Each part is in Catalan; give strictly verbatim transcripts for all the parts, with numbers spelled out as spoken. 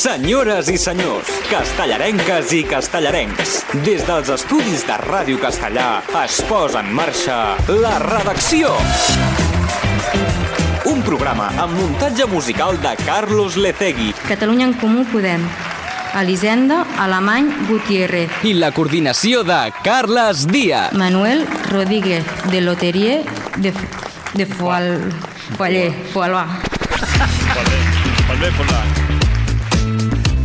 Senyores i senyors, castellarenques i castellarencs, des dels estudis de Ràdio Castellà es posa en marxa La Redacció. Un programa amb muntatge musical de Carlos Lecegui. Catalunya en Comú Podem. Elisenda Alemany Gutiérrez. I la coordinació de Carles Díaz. Manuel Rodríguez, de Loterie de, de Foal... Foaller, Foalà. Foaller, Foalà.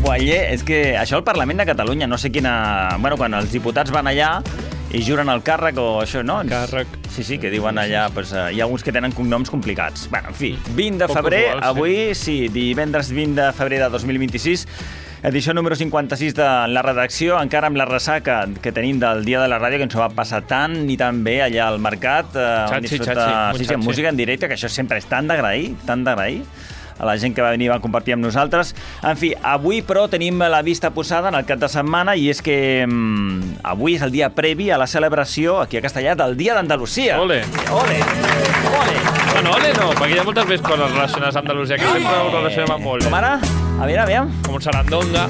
Foaller, és que això al Parlament de Catalunya, no sé quina... Bueno, quan els diputats van allà i juren el càrrec o això, no? Càrrec. Sí, sí, que diuen allà, pues, uh, hi ha alguns que tenen cognoms complicats. Bueno, en fi, vint de febrer, usual, sí. Avui, sí, divendres vint de febrer de dos mil vint-i-sis, edició número cinquanta-sis de La Redacció, encara amb la ressaca que tenim del Dia de la Ràdio, que ens ho va passar tan i tan bé allà al mercat. Uh, Xatxi, disfruta... xatxi, sí, sí, amb música en directe, que això sempre és tan d'agrair, tan d'agrair a la gent que va venir i va compartir amb nosaltres. En fi, avui, però, tenim la vista posada en el cap de setmana i és que um, avui és el dia previ a la celebració, aquí a Castellà, del Dia d'Andalusia. Ole! Ole! Ole! Bueno, ole no, perquè hi ha moltes més coses relacionades amb Andalusia, que sempre ho relacionem amb molt. Com ara? A veure, a veure. Com un sarandonga.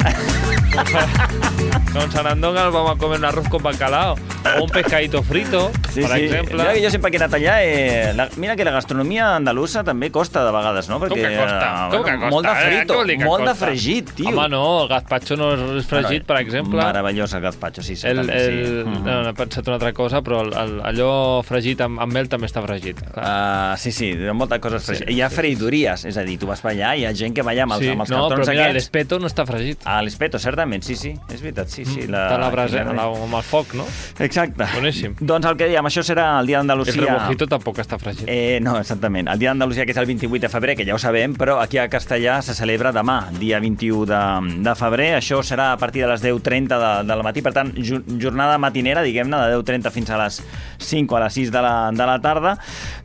Con sarandonga nos vamos a comer un arroz con bacalao o un pescadito frito, sí, per sí. exemple. Mira que jo sempre que he anat allà, eh, la, mira que la gastronomia andalusa també costa de vegades, no? Perquè, Com que costa? Uh, Com que costa? Molt de frito, Eh? molt costa? de fregit, tio. Home, no, el gazpacho no és fregit, Bueno, per exemple. Meravellós el gazpacho, sí, sí. El, també, el, sí. no, Mm-hmm. no he pensat una altra cosa, però el, el, allò fregit amb, amb mel també està fregit. Uh, sí, sí, moltes coses fregides. Sí, hi ha sí, freidories, és a dir, tu vas per allà i hi ha gent que va allà amb els, Sí, amb els no, cartons però mira, aquests. l'espeto no està fregit. Ah, l'espeto, certament, sí, sí, és veritat, sí, sí. La, Està a la brasa, la- la, amb el foc, no? Exacte. Boníssim. Doncs el que dèiem, això serà el Dia El d'Andalusia. rebujito tampoc està fregit. Eh, no, exactament. El Dia d'Andalusia, que és el vint-i-vuit de febrer, que ja ho sabem, però aquí a Castellà se celebra demà, dia vint-i-u de, de febrer. Això serà a partir de les deu trenta de, del matí, per tant, ju, jornada matinera, diguem-ne, de deu trenta fins a les cinc o a les sis de la, de la tarda.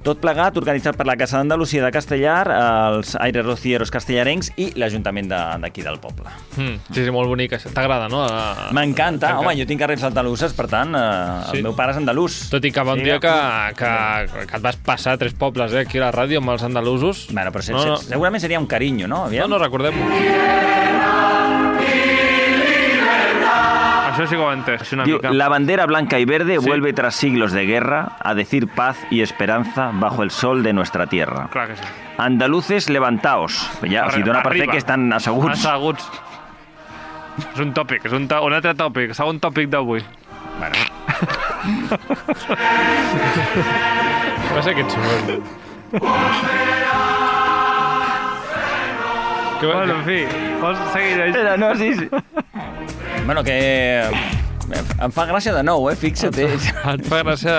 Tot plegat, organitzat per la Casa d'Andalusia de Castellar, els Aires Rocieros castellarencs i l'Ajuntament d'aquí de, del poble. Mm, sí, sí, molt bonic. T'agrada, no? A... M'encanta. Home, jo tinc arrels andaluses, per tant, eh, Sí. el meu pare és andalús. Tot i que va un Sí, dia que, que, que et vas passar tres pobles eh, aquí a la ràdio amb els andalusos. Bueno, però se, No, no. se, segurament seria un carinyo, no? No, Aviam. no, recordem-ho. Això sí que ho he entès, una Diu, mica. la bandera blanca y verde Sí. vuelve tras siglos de guerra a decir paz y esperanza bajo el sol de nuestra tierra. Clar que sí. Andaluces, levantaos. Ja, o sigui, dona per fer Arriba. que estan asseguts. Asseguts. És un tòpic, és un, to un altre tòpic, segon tòpic d'avui. Bueno, Va ser aquest soroll. Que, bueno, en fi, vols seguir així? Era, no, sí, sí. Bueno, que em fa gràcia de nou, eh? Fixa't. Eh? Et fa gràcia...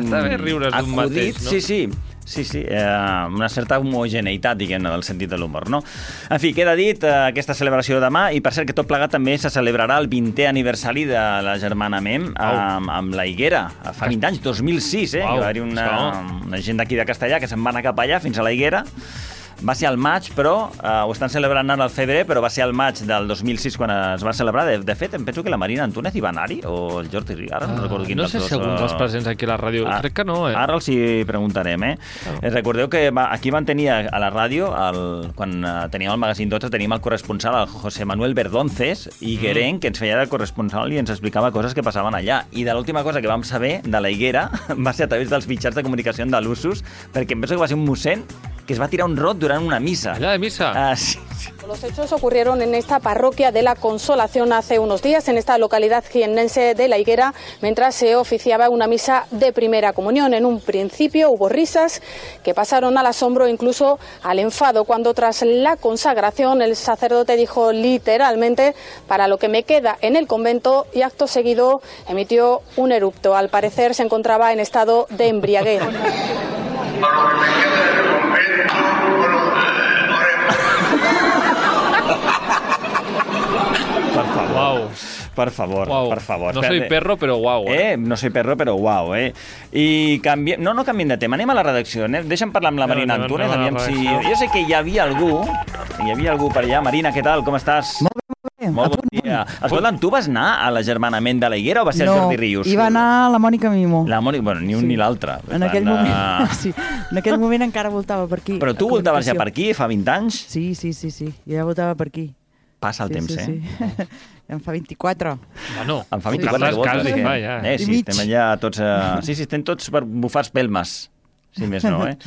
Està bé riure's d'un mateix, no? Sí, sí. Sí, sí, eh, una certa homogeneïtat, diguem-ne, del sentit de l'humor, no? En fi, queda dit eh, aquesta celebració de demà, i per cert que tot plegat també se celebrarà el vintè aniversari de la germana Mem amb, amb la Higuera, fa vint anys, dos mil sis, eh? Uau, Que va haver una, esclar. una gent d'aquí de Castellà que se'n va anar cap allà, fins a la Higuera. Va ser al maig, però eh, ho estan celebrant ara al febrer, però va ser al maig del dos mil sis quan es va celebrar. De, de fet, em penso que la Marina Antúnez hi va anar-hi, o el Jordi Riara, no recordo quin No dels sé dos, si alguns eh, dels presents aquí a la ràdio... Ah, Crec que no, eh? Ara els hi preguntarem, eh? Ah. eh recordeu que va, aquí van tenir a, a la ràdio, el, quan uh, teníem el magazín dotze, teníem el corresponsal, el José Manuel Verdonces, i Gueren, mm. que ens feia de corresponsal i ens explicava coses que passaven allà. I de l'última cosa que vam saber de la Higuera va ser a través dels mitjans de comunicació andalusos, perquè em penso que va ser un mossèn que es va tirar un rot durant una missa. Allà de missa? Ah, sí, sí. Los hechos ocurrieron en esta parroquia de la Consolación hace unos días, en esta localidad jiennense de La Higuera, mientras se oficiaba una misa de primera comunión. En un principio hubo risas que pasaron al asombro, incluso al enfado, cuando tras la consagración el sacerdote dijo literalmente: para lo que me queda en el convento, y acto seguido emitió un erupto. Al parecer se encontraba en estado de embriaguez. Per favor. Uau. Per favor, Uau. per favor. No soy Espérate. perro, però uau, eh? Eh, no soy perro, però uau, eh? I canviem... No, no canviem de tema, anem a la redacció. Anem... Deixa'm parlar amb la Anem, Marina anem, Antúnez, anem a la aviam si... redacció. Jo sé que hi havia algú, hi havia algú per allà. Marina, què tal? Com estàs? Molt bé, molt bé. Molt bon dia. Escolta'm, tu vas anar a l'agermanament de la Higuera o va ser no, el Jordi Rius? hi va anar la Mònica Mimo. La Mònica, bueno, ni un Sí. ni l'altre. En aquell, moment, sí, en aquell moment encara voltava per aquí. Però tu a voltaves ja comunicació. per aquí fa vint anys? Sí, sí, sí, sí. Jo ja voltava per aquí. Passa el sí, temps, sí, eh? Sí. En fa vint-i-quatre. Bueno, Em fa vint-i-quatre Carles que vols, quasi, eh? va, ja. Eh, I sí, mig. estem allà tots... Uh... Sí, sí, estem tots per bufar espelmes. Si més no, eh?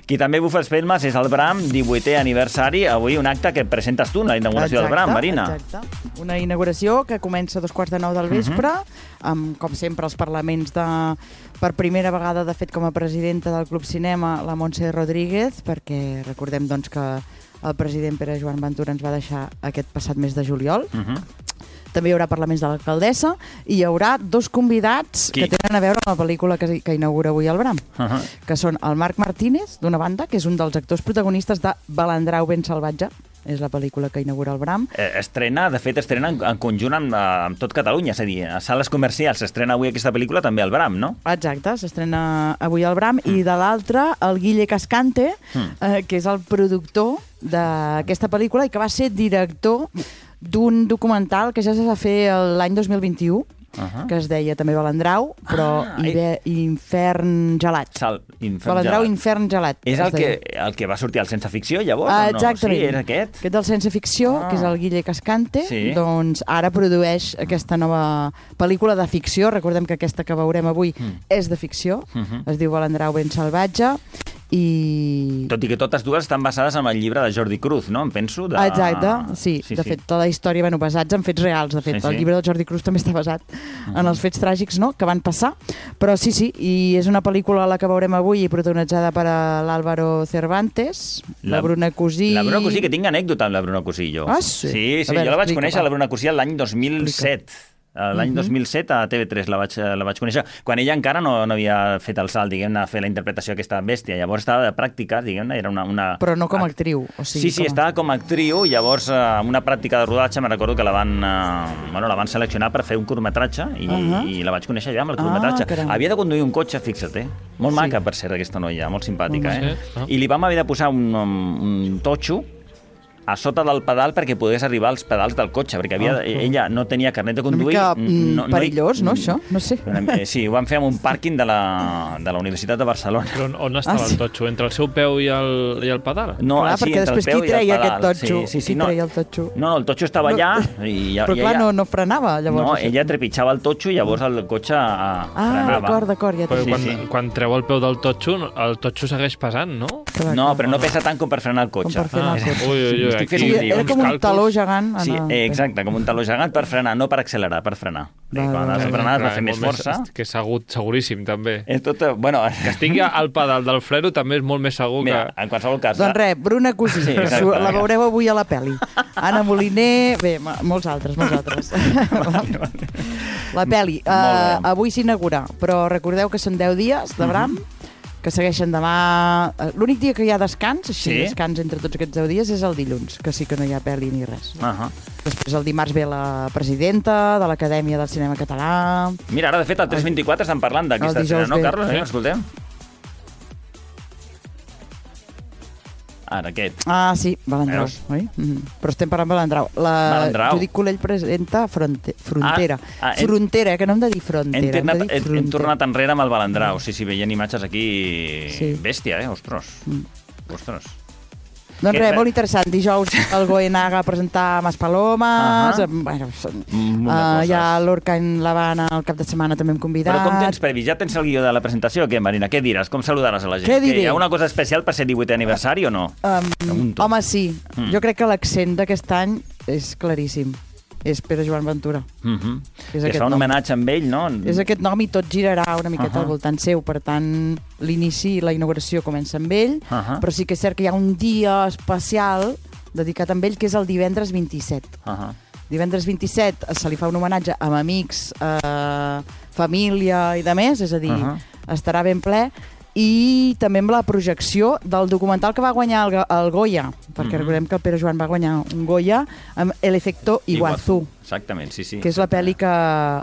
Qui també bufa espelmes és el Bram, divuitè aniversari. Avui un acte que presentes tu, la inauguració Exacte, del Bram, Marina. Exacte. Una inauguració que comença a dos quarts de nou del vespre, uh -huh. amb, com sempre, els parlaments de... Per primera vegada, de fet, com a presidenta del Club Cinema, la Montse Rodríguez, perquè recordem doncs, que el president Pere Joan Ventura ens va deixar aquest passat mes de juliol. Uh -huh. També hi haurà parlaments de l'alcaldessa i hi haurà dos convidats Qui? que tenen a veure amb la pel·lícula que, que inaugura avui el Bram, uh -huh. que són el Marc Martínez, d'una banda, que és un dels actors protagonistes de Balandrau ben salvatge, és la pel·lícula que inaugura el Bram. Eh, estrena, de fet, estrena en, en conjunt amb, amb tot Catalunya, és a dir, a sales comercials s'estrena avui aquesta pel·lícula, també el Bram, no? Exacte, s'estrena avui el Bram, mm. i de l'altre, el Guille Cascante, mm. eh, que és el productor d'aquesta pel·lícula i que va ser director d'un documental que ja es va fer l'any dos mil vint-i-u, Uh-huh. que es deia també Balandrau, però ah, Ibe, Infern Gelat. Sal, infern Balandrau, gelat. Infern Gelat. És el que, el que va sortir al Sense Ficció, llavors? Ah, o no? exactament. Sí, era aquest? Aquest del Sense Ficció, ah. que és el Guille Cascante, sí. doncs ara produeix aquesta nova pel·lícula de ficció. Recordem que aquesta que veurem avui mm. és de ficció. Mm-hmm. Es diu Balandrau ben salvatge. I... Tot i que totes dues estan basades en el llibre de Jordi Cruz, no? Em penso. De... Exacte, sí. sí de sí. fet, tota la història, bueno, basats en fets reals. De fet, sí, sí. el llibre del Jordi Cruz també està basat uh-huh. en els fets tràgics, no?, que van passar. Però sí, sí, i és una pel·lícula la que veurem avui protagonitzada per l'Álvaro Cervantes, la, la Bruna Cusí... La Bruna Cusí, que tinc anècdota amb la Bruna Cusí, jo. Ah, sí? Sí, sí, veure, jo la vaig explica, conèixer, va. la Bruna Cusí, l'any dos mil set. L'any uh-huh. dos mil set a T V tres la vaig, la vaig conèixer, quan ella encara no, no havia fet el salt, diguem-ne, a fer la interpretació d'aquesta bèstia. Llavors estava de pràctica, diguem-ne, era una... una... Però no com a actriu. O sigui, sí, sí, com a... estava com a actriu, llavors amb una pràctica de rodatge me recordo que la van, eh, bueno, la van seleccionar per fer un curtmetratge i, uh-huh. i la vaig conèixer ja amb el curtmetratge. Ah, havia de conduir un cotxe, fixa't, eh? Molt sí. maca, per ser, aquesta noia, molt simpàtica, eh? Sí. I li vam haver de posar un, un totxo a sota del pedal perquè pogués arribar als pedals del cotxe, perquè havia, oh, oh. ella no tenia carnet de conduir. Una mica no, perillós, no, no, això? No sé. Sí, ho vam fer en un pàrquing de la, de la Universitat de Barcelona. Però on estava ah, sí. el totxo? Entre el seu peu i el, i el pedal? No, clar, sí, perquè després qui treia aquest totxo? Sí, sí, sí, qui no, treia el totxo? No, no, el totxo estava no, allà. I, però clar, ella, no, no frenava, llavors. No, això. ella trepitjava el totxo i llavors el cotxe ah, frenava. Ah, d'acord, d'acord, ja però sí, quan, sí. quan treu el peu del totxo, el totxo segueix pesant, no? Clar, no, clar. però no pesa tant com per frenar el cotxe. Com per frenar el cotxe. Ui, ui, ui, Estic fent aquí, un lío. Era com un taló gegant. Sí, exacte, com un taló gegant per frenar, no per accelerar, per frenar. Va, quan has de frenar has de fer més força. Que és segur, seguríssim, també. És tot, bueno... Que estigui al pedal del freno també és molt més segur que... Mira, en qualsevol cas... Doncs res, Bruna Cusí, sí, exacte, la veureu avui a la pel·li. Anna Moliner, bé, molts altres, molts altres. La pel·li, uh, avui s'inaugura, però recordeu que són deu dies de Bram, uh-huh. que segueixen demà... L'únic dia que hi ha descans, així, sí? descans entre tots aquests deu dies, és el dilluns, que sí que no hi ha pel·li ni res. Uh-huh. Després el dimarts ve la presidenta de l'Acadèmia del Cinema Català... Mira, ara de fet al tres vint-i-quatre estan parlant d'aquesta escena, no, Carlos? Sí. Eh? Escoltem. Ara, aquest. Ah, sí, Balandrau, oi? Mm-hmm. Però estem parlant Balandrau. La Balandrau. Judit Colell presenta fronte... Frontera. Ah, ah, hem... Frontera, que no hem de dir frontera. Hem, tornat, hem, de dir hem, hem tornat enrere amb el Balandrau. Sí, sí, veient imatges aquí... Sí. Bèstia, eh? Ostres. Mm. Ostres. Doncs res, molt interessant. Dijous el Goenaga a presentar Maspalomes, uh-huh. bueno, uh, hi ha l'Orca en l'Havana el cap de setmana també hem convidat. Però com tens previ? Ja tens el guió de la presentació o què, Marina? Què diràs? Com saludaràs a la gent? Què diré? Hi ha una cosa especial per ser divuitè aniversari o no? Um, home, sí. Mm. Jo crec que l'accent d'aquest any és claríssim. És Pere Joan Ventura. Uh-huh. És que es fa un homenatge amb ell, no? És aquest nom i tot girarà una miqueta uh-huh. al voltant seu. Per tant, l'inici i la inauguració comença amb ell, uh-huh. però sí que és cert que hi ha un dia especial dedicat a ell, que és el divendres vint-i-set. Uh-huh. Divendres vint-i-set se li fa un homenatge amb amics, eh, família i de més, és a dir, uh-huh. estarà ben ple. I també amb la projecció del documental que va guanyar el, el Goya, perquè mm-hmm. recordem que el Pere Joan va guanyar un Goya amb El efecto Iguazú. Exactament, sí, sí. Que és la pel·li que...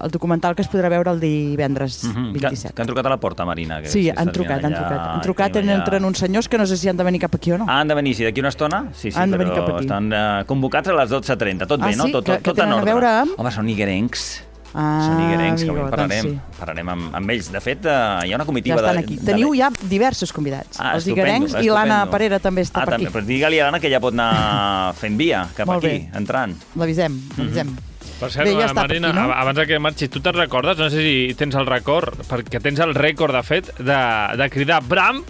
el documental que es podrà veure el divendres mm-hmm. vint-i-set. Que, que han trucat a la porta, Marina. Que sí, han trucat, allà, han trucat. Han trucat, allà... entren uns senyors que no sé si han de venir cap aquí o no. Ah, han de venir, sí, d'aquí una estona? Sí, sí, han de però venir cap aquí. Estan uh, convocats a les dotze trenta. Tot ah, bé, no? Sí? Tot, tot, que, tot que en ordre. A veure amb... Home, són iguerencs. Ah, Són iguerencs, que avui amigo, parlarem, doncs sí. parlarem amb, amb ells. De fet, eh, hi ha una Ja comitiva estan de... aquí. de Teniu ja diversos convidats. Ah, Els estupendo, iguerencs i l'Anna estupendo. Parera també està ah, per també, aquí. però digue-li a l'Anna que ja pot anar fent via cap Molt aquí, bé. entrant. L'avisem, l'avisem. Per cert, Bé, ja està per Marina, aquí, no? abans que marxis, tu te'n recordes? No sé si tens el record, perquè tens el rècord, de fet, de, de cridar Bram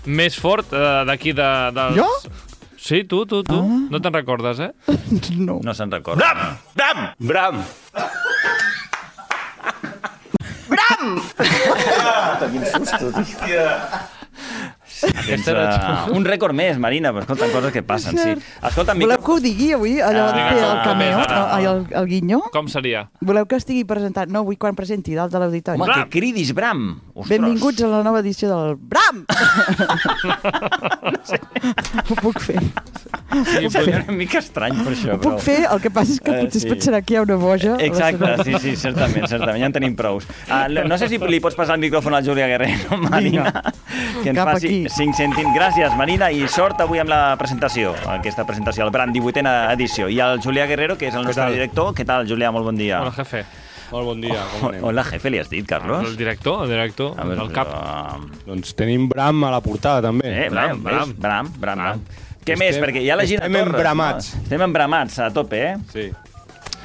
més fort eh, d'aquí de, dels... Jo? Sí, tu, tu, tu. Ah. No te'n recordes, eh? No. No se'n recorda. Bram! Bram! Quin susto, tio. Tens, uh, un rècord més, Marina, però escolta, coses que passen, sí. Escolta, Voleu micro... que ho digui avui, allò Ah, de fer el com cameo, és ara? no, el, el guinyo? Com seria? Voleu que estigui presentat? No, vull quan presenti dalt de l'auditori. Home, que cridis, Bram. Ostres. Benvinguts a la nova edició del Bram! Ho puc fer. Sí, però és una mica estrany per això, Ho puc però... fer, el que passa és que Eh, potser sí. es pensarà que hi ha una boja. a la Exacte, seva- sí, sí, certament, certament, ja en tenim prous. Uh, no, no sé si li pots passar el micròfon al Julià Guerrero, Marina, que ens Cap faci aquí. cinc cèntims. Gràcies, Marina, i sort avui amb la presentació, aquesta presentació, el Bram, divuitena edició. I el Julià Guerrero, que és el nostre tal? director. Què tal, Julià? Molt bon dia. Hola, jefe. Molt bon dia, com anem? Hola, jefe, li has dit, Carlos? El director, el director, A veure, el cap. Uh, Doncs tenim Bram a la portada, també. eh, Bram, Bram, Bram, Bram, Bram, Bram. Què Estem- més? Perquè hi ha la Gina estem Torres. embramats. No? Estem embramats a tope, eh? Sí.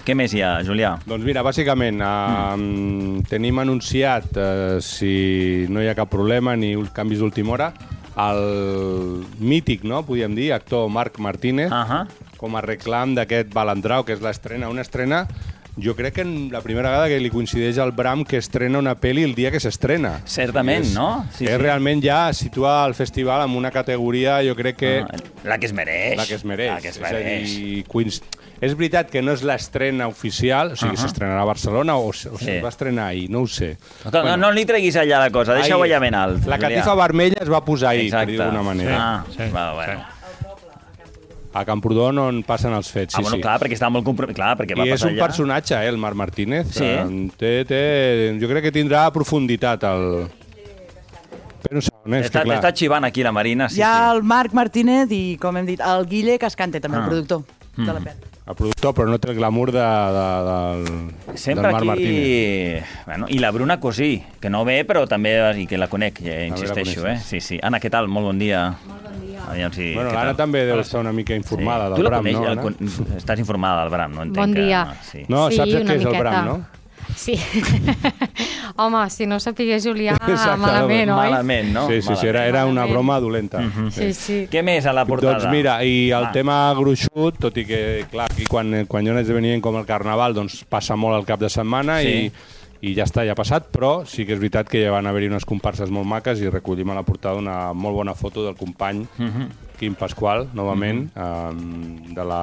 Què més hi ha, Julià? Doncs mira, bàsicament, eh, mm. tenim anunciat, eh, si no hi ha cap problema ni uns canvis d'última hora, el mític, no?, podríem dir, actor Marc Martínez, Uh -huh. com a reclam d'aquest Balandrau, que és l'estrena, una estrena, jo crec que en la primera vegada que li coincideix al Bram que estrena una pel·li el dia que s'estrena. Certament, És- no? Sí, és sí. realment ja situa el festival en una categoria, jo crec que... Ah, la que es mereix. La que es mereix. La que es És mereix. a dir, coinc... és veritat que no és l'estrena oficial, o sigui, uh -huh. s'estrenarà a Barcelona o, o sí. es va estrenar ahir, no ho sé. Escolta, bueno, no, no li treguis allà la cosa, deixa-ho allà ben alt. La Julià. catifa vermella es va posar ahir, Exacte. per dir d'alguna manera. Ah, Sí, sí. Va, bueno. sí. A Camprodon on passen els fets, sí, ah, bueno, sí. clar, perquè estava molt compromès. Clar, perquè va I és passar un allà. personatge, eh, el Marc Martínez. Sí? Eh, té, té, jo crec que tindrà profunditat el... Però no segon, eh, és Està, que clar... està xivant aquí la Marina, sí, Hi ha sí. el Marc Martínez i, com hem dit, el Guille Cascante, també, Ah. el productor de la pel·li. El productor, però no té el glamour de, de, del, Sempre del Marc aquí... Martínez. Bueno, i la Bruna Cosí, que no ve, però també i que la conec, ja insisteixo, eh? coneixes. Sí, sí. Anna, què tal? Molt bon dia. Molt bon dia. Aviam si... Bueno, què l'Anna tal? també deu estar una mica informada Tu del la Bram, coneix, no, el Anna? con- Estàs informada del Bram, no entenc Bon que... dia. Sí. No, Sí, saps una què és el miqueta. Bram, no? Sí. Home, si no sapigués Julià, Exacte, malament, oi? Malament, no? Sí, sí, sí, era, era una broma dolenta. Sí, sí. Què més a la portada? Doncs mira, i el Va. tema gruixut, tot i que, clar, aquí quan, quan hi ha un esdeveniment com el Carnaval, doncs passa molt al cap de setmana Sí. i, i ja està, ja ha passat, però sí que és veritat que ja van haver-hi unes comparses molt maques i recollim a la portada una molt bona foto del company Quim Pasqual, novament, eh, de la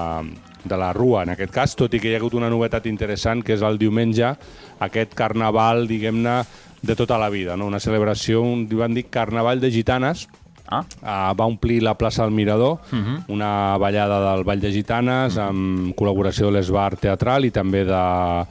de la Rua, en aquest cas, tot i que hi ha hagut una novetat interessant, que és el diumenge, aquest carnaval, diguem-ne, de tota la vida, no? Una celebració, un, van dir Carnaval de Gitanes, Ah, Uh, va omplir la plaça del Mirador, uh -huh. una ballada del Ball de Gitanes, uh -huh. amb col·laboració de l'Esbar Teatral i també de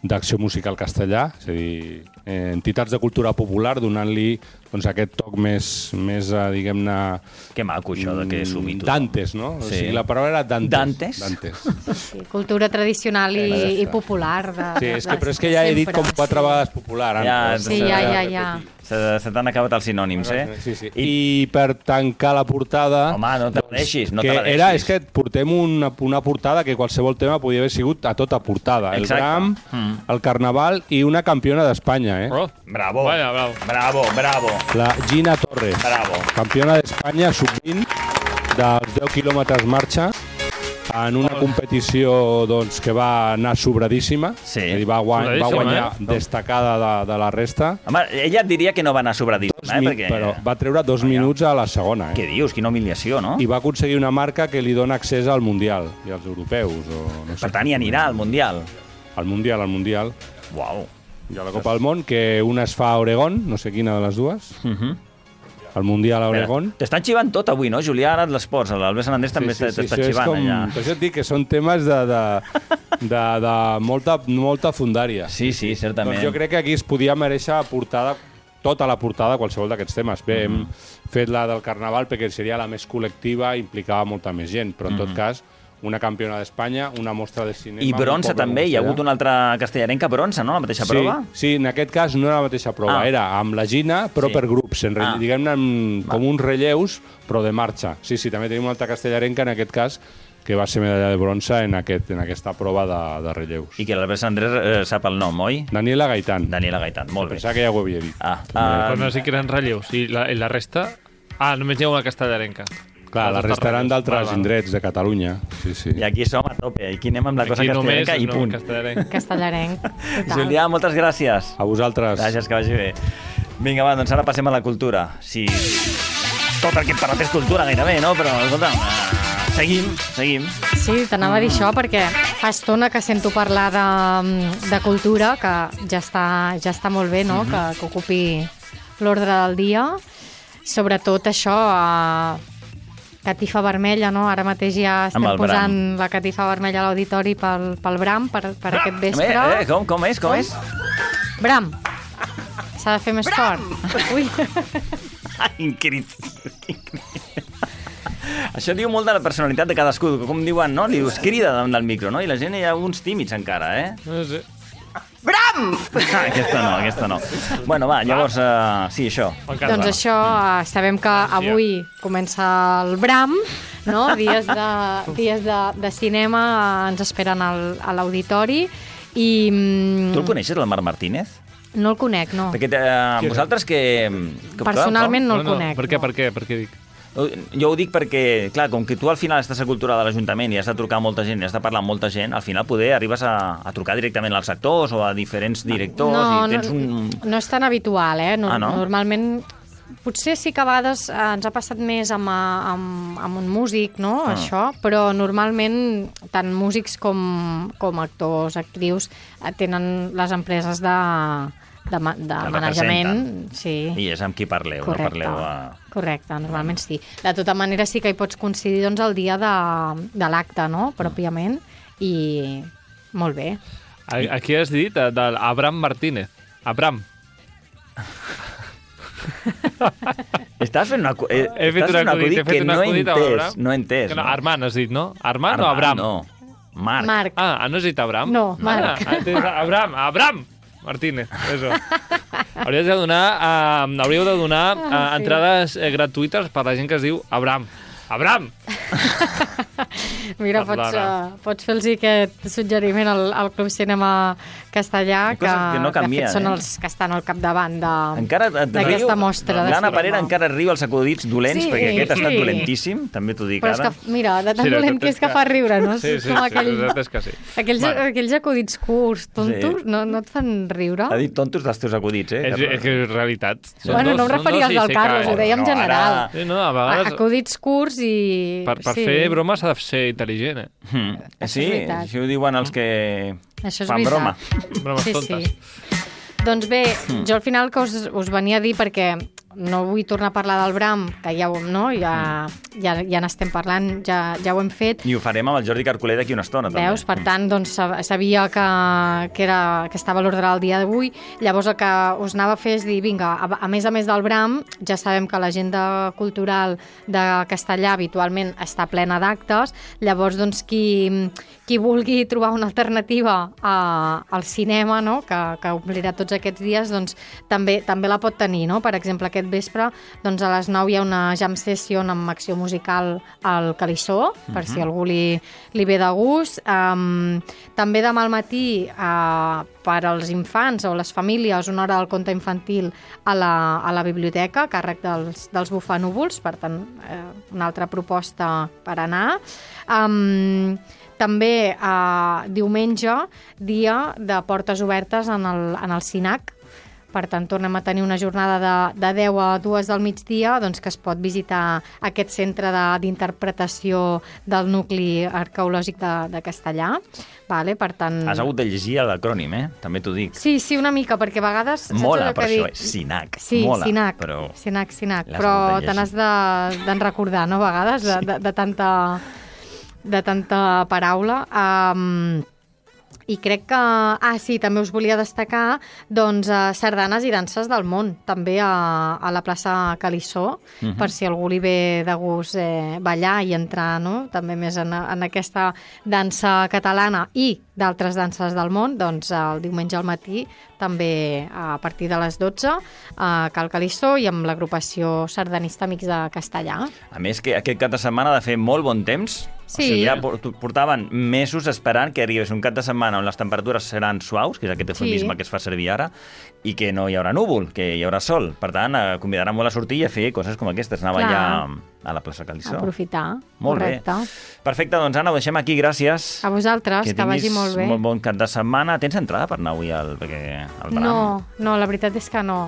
d'Acció Musical Castellà, és a dir, eh, entitats de cultura popular donant-li doncs, aquest toc més, més uh, diguem-ne... que maco això de que sumi tothom. Dantes, no? Sí. O sigui, la paraula era Dantes. Dantes? Dantes. Sí, cultura tradicional i, i popular. De, Sí, és de- que, però és que ja he dit sempre, com quatre sí. vegades popular. Anna, Ja, però Sí, s'ha ja, de ja, repetir. ja. Se, se t'han acabat els sinònims, eh? Sí, sí. I, I per tancar la portada... Home, no te la deixis, no que te la deixis. era, és que portem una, una portada que qualsevol tema podia haver sigut a tota portada. Exacte. El Bram, Mm. el Carnaval i una campiona d'Espanya, eh? Oh, Bravo. Vaya, bravo. Bravo, bravo. La Gina Torres, Bravo. campiona d'Espanya sub vint dels deu quilòmetres marxa en una competició doncs, que va anar sobradíssima, Sí. és a dir, va, guany, va Sobradíssima, guanyar eh? destacada de, de la resta, Home, ella et diria que no va anar sobradíssima, dos eh? mi- Perquè... però va treure dos minuts a la segona. Eh? Què dius? Quina humiliació, no? I va aconseguir una marca que li dona accés al Mundial i als europeus. O no sé. Per tant, hi anirà al Mundial. Al Mundial, al Mundial. Uau. I a la Copa del Món, que una es fa a Oregon, no sé quina de les dues. Uh -huh. El Mundial a Oregon. T'estan xivant tot avui, no? Julià, ara d'esports. L'Albert Sanandés també sí, sí, t'està això és xivant com... allà. Per això et dic que són temes de, de, de, de molta, molta fundària. Sí, sí, certament. Doncs jo crec que aquí es podia mereixer portada, tota la portada, qualsevol d'aquests temes. Bé, hem fet la del Carnaval perquè seria la més col·lectiva, implicava molta més gent, però en tot cas una campiona d'Espanya, una mostra de cinema... I bronze també, hi ha hagut una altra castellarenca bronze, no? La mateixa sí, prova? Sí, en aquest cas no era la mateixa prova, ah. era amb la Gina, però sí. per grups, en, ah. diguem-ne com uns relleus, però de marxa. Sí, sí, també tenim una altra castellarenca, en aquest cas, que va ser medalla de bronze en, aquest, en aquesta prova de, de relleus. I que l'Albert Sandrés eh, sap el nom, oi? Daniela Gaitán. Daniela Gaitán, molt bé. Pensava que ja ho havia dit. Ah, ah, però no sé que eren relleus. I la, i la resta... Ah, només hi ha una castellarenca. Clar, la resta eren d'altres indrets de Catalunya. Sí, sí. I aquí som a tope. Aquí anem amb la cosa castellarenca i punt. Castellarenc. Castellarenc. Julià, moltes gràcies. A vosaltres. Gràcies, que vagi bé. Vinga, va, doncs ara passem a la cultura. Sí. Tot el que hem parlat és cultura gairebé, no? Però, escolta, uh, seguim, seguim. Sí, t'anava a dir això perquè fa estona que sento parlar de, de cultura, que ja està, ja està molt bé, no?, mm-hmm. que, que ocupi l'ordre del dia. Sobretot això... Uh, catifa vermella, no? Ara mateix ja estem posant Bram. La catifa vermella a l'auditori pel, pel Bram, per, per aquest vespre. Eh, eh, com, com és, com, com? és? Bram. S'ha de fer més Bram. Fort. Ui. Increïble. Això diu molt de la personalitat de cadascú. Com diuen, no? Li dius, crida davant del micro, no? I la gent hi ha uns tímids encara, eh? No sé. Bram! Ah, aquesta no, aquesta no. Bueno, va, llavors, uh, sí, això. Doncs això, uh, sabem que avui comença el Bram, no? Dies de, dies de, de cinema uh, ens esperen al, a l'auditori i... Um, tu el coneixes, el Marc Martínez? No el conec, no. Perquè uh, vosaltres que... que Personalment no el no, conec. No. Per què, no. per què, per què dic? Jo ho dic perquè, clar, com que tu al final estàs a cultura de l'Ajuntament i has de trucar a molta gent i has de parlar amb molta gent, al final poder arribes a, a trucar directament als actors o a diferents directors no, i tens un... No, no és tan habitual, eh? No, ah, no? Normalment, potser sí que a vegades ens ha passat més amb, amb, amb un músic, no?, ah. això, però normalment tant músics com, com actors, actrius, tenen les empreses de... de, ma de manejament, sí. I és amb qui parleu, correcte, no parleu a... Correcte, normalment sí. De tota manera sí que hi pots coincidir doncs, el dia de, de l'acte, no?, pròpiament, i molt bé. Aquí has dit de, de Abraham Martínez. Abraham. Estàs fent una, eh, he fet un acudit, he fet un acudit no he entès. No he entès. No, Armand has dit, no? Armand, Armand o Abraham? No, Marc. Marc. Ah, no has dit Abraham? No, Marc. Ah, Abraham, Abraham Martínez, eso. Hauríeu de donar, uh, hauríeu de donar uh, ah, sí. entrades eh, gratuïtes per la gent que es diu Abraham. Abraham! Mira, pots, uh, pots fer-los aquest suggeriment al, al Club Cinema Castellà, que, que, no canvien, que són eh? els que estan al capdavant d'aquesta mostra de l'Anna cinema. Parera encara riu els acudits dolents, sí, perquè aquest ha estat sí. dolentíssim, també t'ho dic Però ara. És que, mira, de tan sí, dolent que és que fa riure, no? Sí, sí, Com sí, aquell... sí, és que sí. Aquells, bueno. aquells acudits curts, tontos, sí. no, no et fan riure? Ha dit tontos dels teus acudits, eh? És, és que és realitat. Són bueno, dos, no em referia als del Carlos, ho deia en general. Sí, no, a vegades... Acudits curts i... Per, per sí. fer broma s'ha de ser intel·ligent, eh? Hmm. Sí, això ho diuen els que això és fan veritat. broma. Bromes sí, tontes. Sí. Doncs bé, mm. jo al final que us, us venia a dir perquè no vull tornar a parlar del Bram, que ja, no, ja, ja, ja n'estem parlant, ja, ja ho hem fet. I ho farem amb el Jordi Carcoler d'aquí una estona, també. Veus? Per tant, doncs, sabia que, que, era, que estava a l'ordre del dia d'avui. Llavors el que us anava a fer és dir, vinga, a, a més a més del Bram, ja sabem que l'agenda cultural de Castellà habitualment està plena d'actes, llavors, doncs, qui, qui vulgui trobar una alternativa a, al cinema, no?, que, que omplirà tots aquests dies, doncs, també, també la pot tenir, no? Per exemple, aquest vespre, doncs a les nou hi ha una jam session amb acció musical al Calissó, per uh-huh. si algú li, li ve de gust. Um, també demà al matí, uh, per als infants o les famílies, una hora del conte infantil a la, a la biblioteca, a càrrec dels, dels bufanúvols, per tant, eh, una altra proposta per anar. Um, també uh, diumenge, dia de portes obertes en el, en el CINAC. Per tant, tornem a tenir una jornada de, de deu a dues del migdia, doncs, que es pot visitar aquest centre d'interpretació de, del nucli arqueològic de, de Castellà. Vale, per tant... Has hagut de llegir l'acrònim, eh? També t'ho dic. Sí, sí, una mica, perquè a vegades... Mola, per dic... això, és SINAC. Sí, Mola, SINAC, però... SINAC, SINAC. Però te n'has de, de recordar, no?, a vegades, de, de, de, tanta, de tanta paraula. Um, I crec que... Ah, sí, també us volia destacar doncs, eh, sardanes i danses del món, també a, a la plaça Calissó, uh-huh. per si algú li ve de gust eh, ballar i entrar, no?, també més en, en aquesta dansa catalana i d'altres danses del món, doncs el diumenge al matí també a partir de les dotze a Cal Calissó i amb l'agrupació sardanista Amics de Castellà. A més, que aquest cap de setmana ha de fer molt bon temps. Sí. O sigui, ja portaven mesos esperant que arribés un cap de setmana on les temperatures seran suaus, que és aquest eufemisme sí. que es fa servir ara, i que no hi haurà núvol, que hi haurà sol. Per tant, convidaran molt a sortir i a fer coses com aquestes. Anava Clar. ja a la plaça Calissó. Aprofitar. Molt Correcte. bé. Perfecte, doncs Anna, ho deixem aquí, gràcies. A vosaltres, que, que vagi molt bé. Que molt bon cap de setmana. Tens entrada per anar avui al, perquè, al Bram? No, no, la veritat és que no.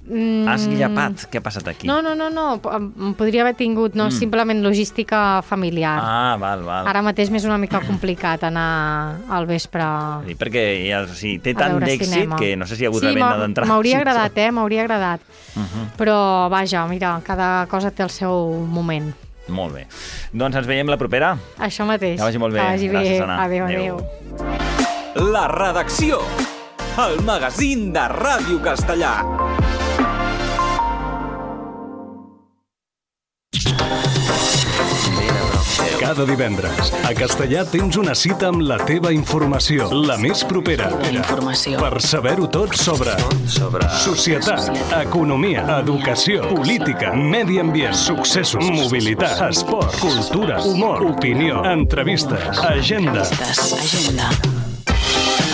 Mm. Has llapat? Què ha passat aquí? No, no, no, no. Em podria haver tingut, no, mm. simplement logística familiar. Ah, val, val. Ara mateix m'és una mica complicat anar al vespre sí, perquè ja, o sigui, té tant d'èxit que no sé si hi ha hagut sí, la venda d'entrada. M'hauria agradat, eh? M'hauria agradat. Uh -huh. Però, vaja, mira, cada cosa té el seu moment. Molt bé. Doncs ens veiem la propera. Això mateix. Que vagi molt bé. Que vagi Gràcies, bé. Anna. Adéu, adéu. La redacció. El magazín de Ràdio Castellà. Cada divendres, a Castellà tens una cita amb la teva informació, la més propera, per saber-ho tot sobre, sobre societat, economia, educació, política, medi ambient, successos, mobilitat, esport, cultura, humor, opinió, entrevistes, agenda.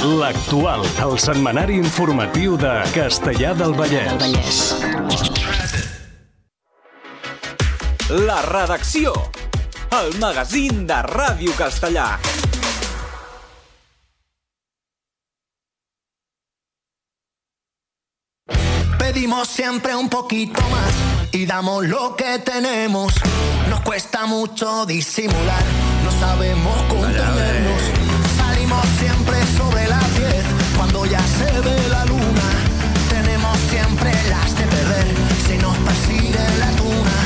L'Actual, el setmanari informatiu de Castellà del Vallès. La redacció. El magazín de Ràdio Castellà. Pedimos siempre un poquito más y damos lo que tenemos. Nos cuesta mucho disimular, no sabemos contenernos. Salimos siempre sobre las diez, cuando ya se ve la luna. Tenemos siempre las de perder, si nos persigue la tuna.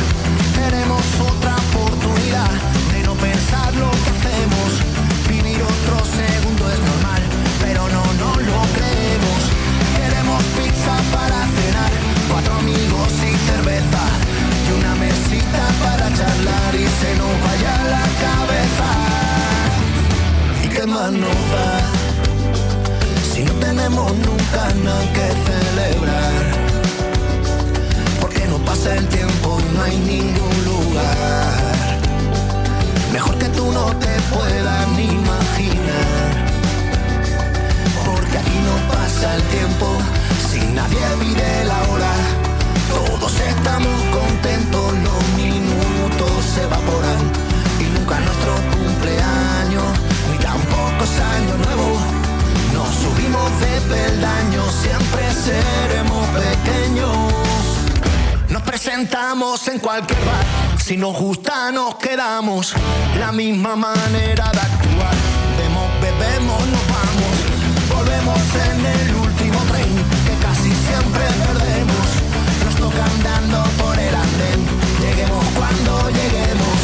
Tenemos otra oportunidad de no pensar lo que hacemos. Vivir otro segundo es normal, pero no nos lo creemos. Queremos pizza para cenar, cuatro amigos y cerveza, y una mesita para charlar y se nos vaya la cabeza. ¿Y qué más nos da? Si no tenemos nunca nada que celebrar, porque no pasa el tiempo y no hay ningún lugar mejor que tú no te puedas ni imaginar, porque aquí no pasa el tiempo si nadie vive la hora. Todos estamos contentos, los minutos se evaporan y nunca nuestro cumpleaños ni tampoco es año nuevo. Nos subimos de peldaños, siempre seremos pequeños. Nos presentamos en cualquier bar, si nos gusta nos quedamos. La misma manera de actuar, vemos, bebemos, nos vamos. Volvemos en el último tren, que casi siempre perdemos. Nos toca andando por el andén, lleguemos cuando lleguemos.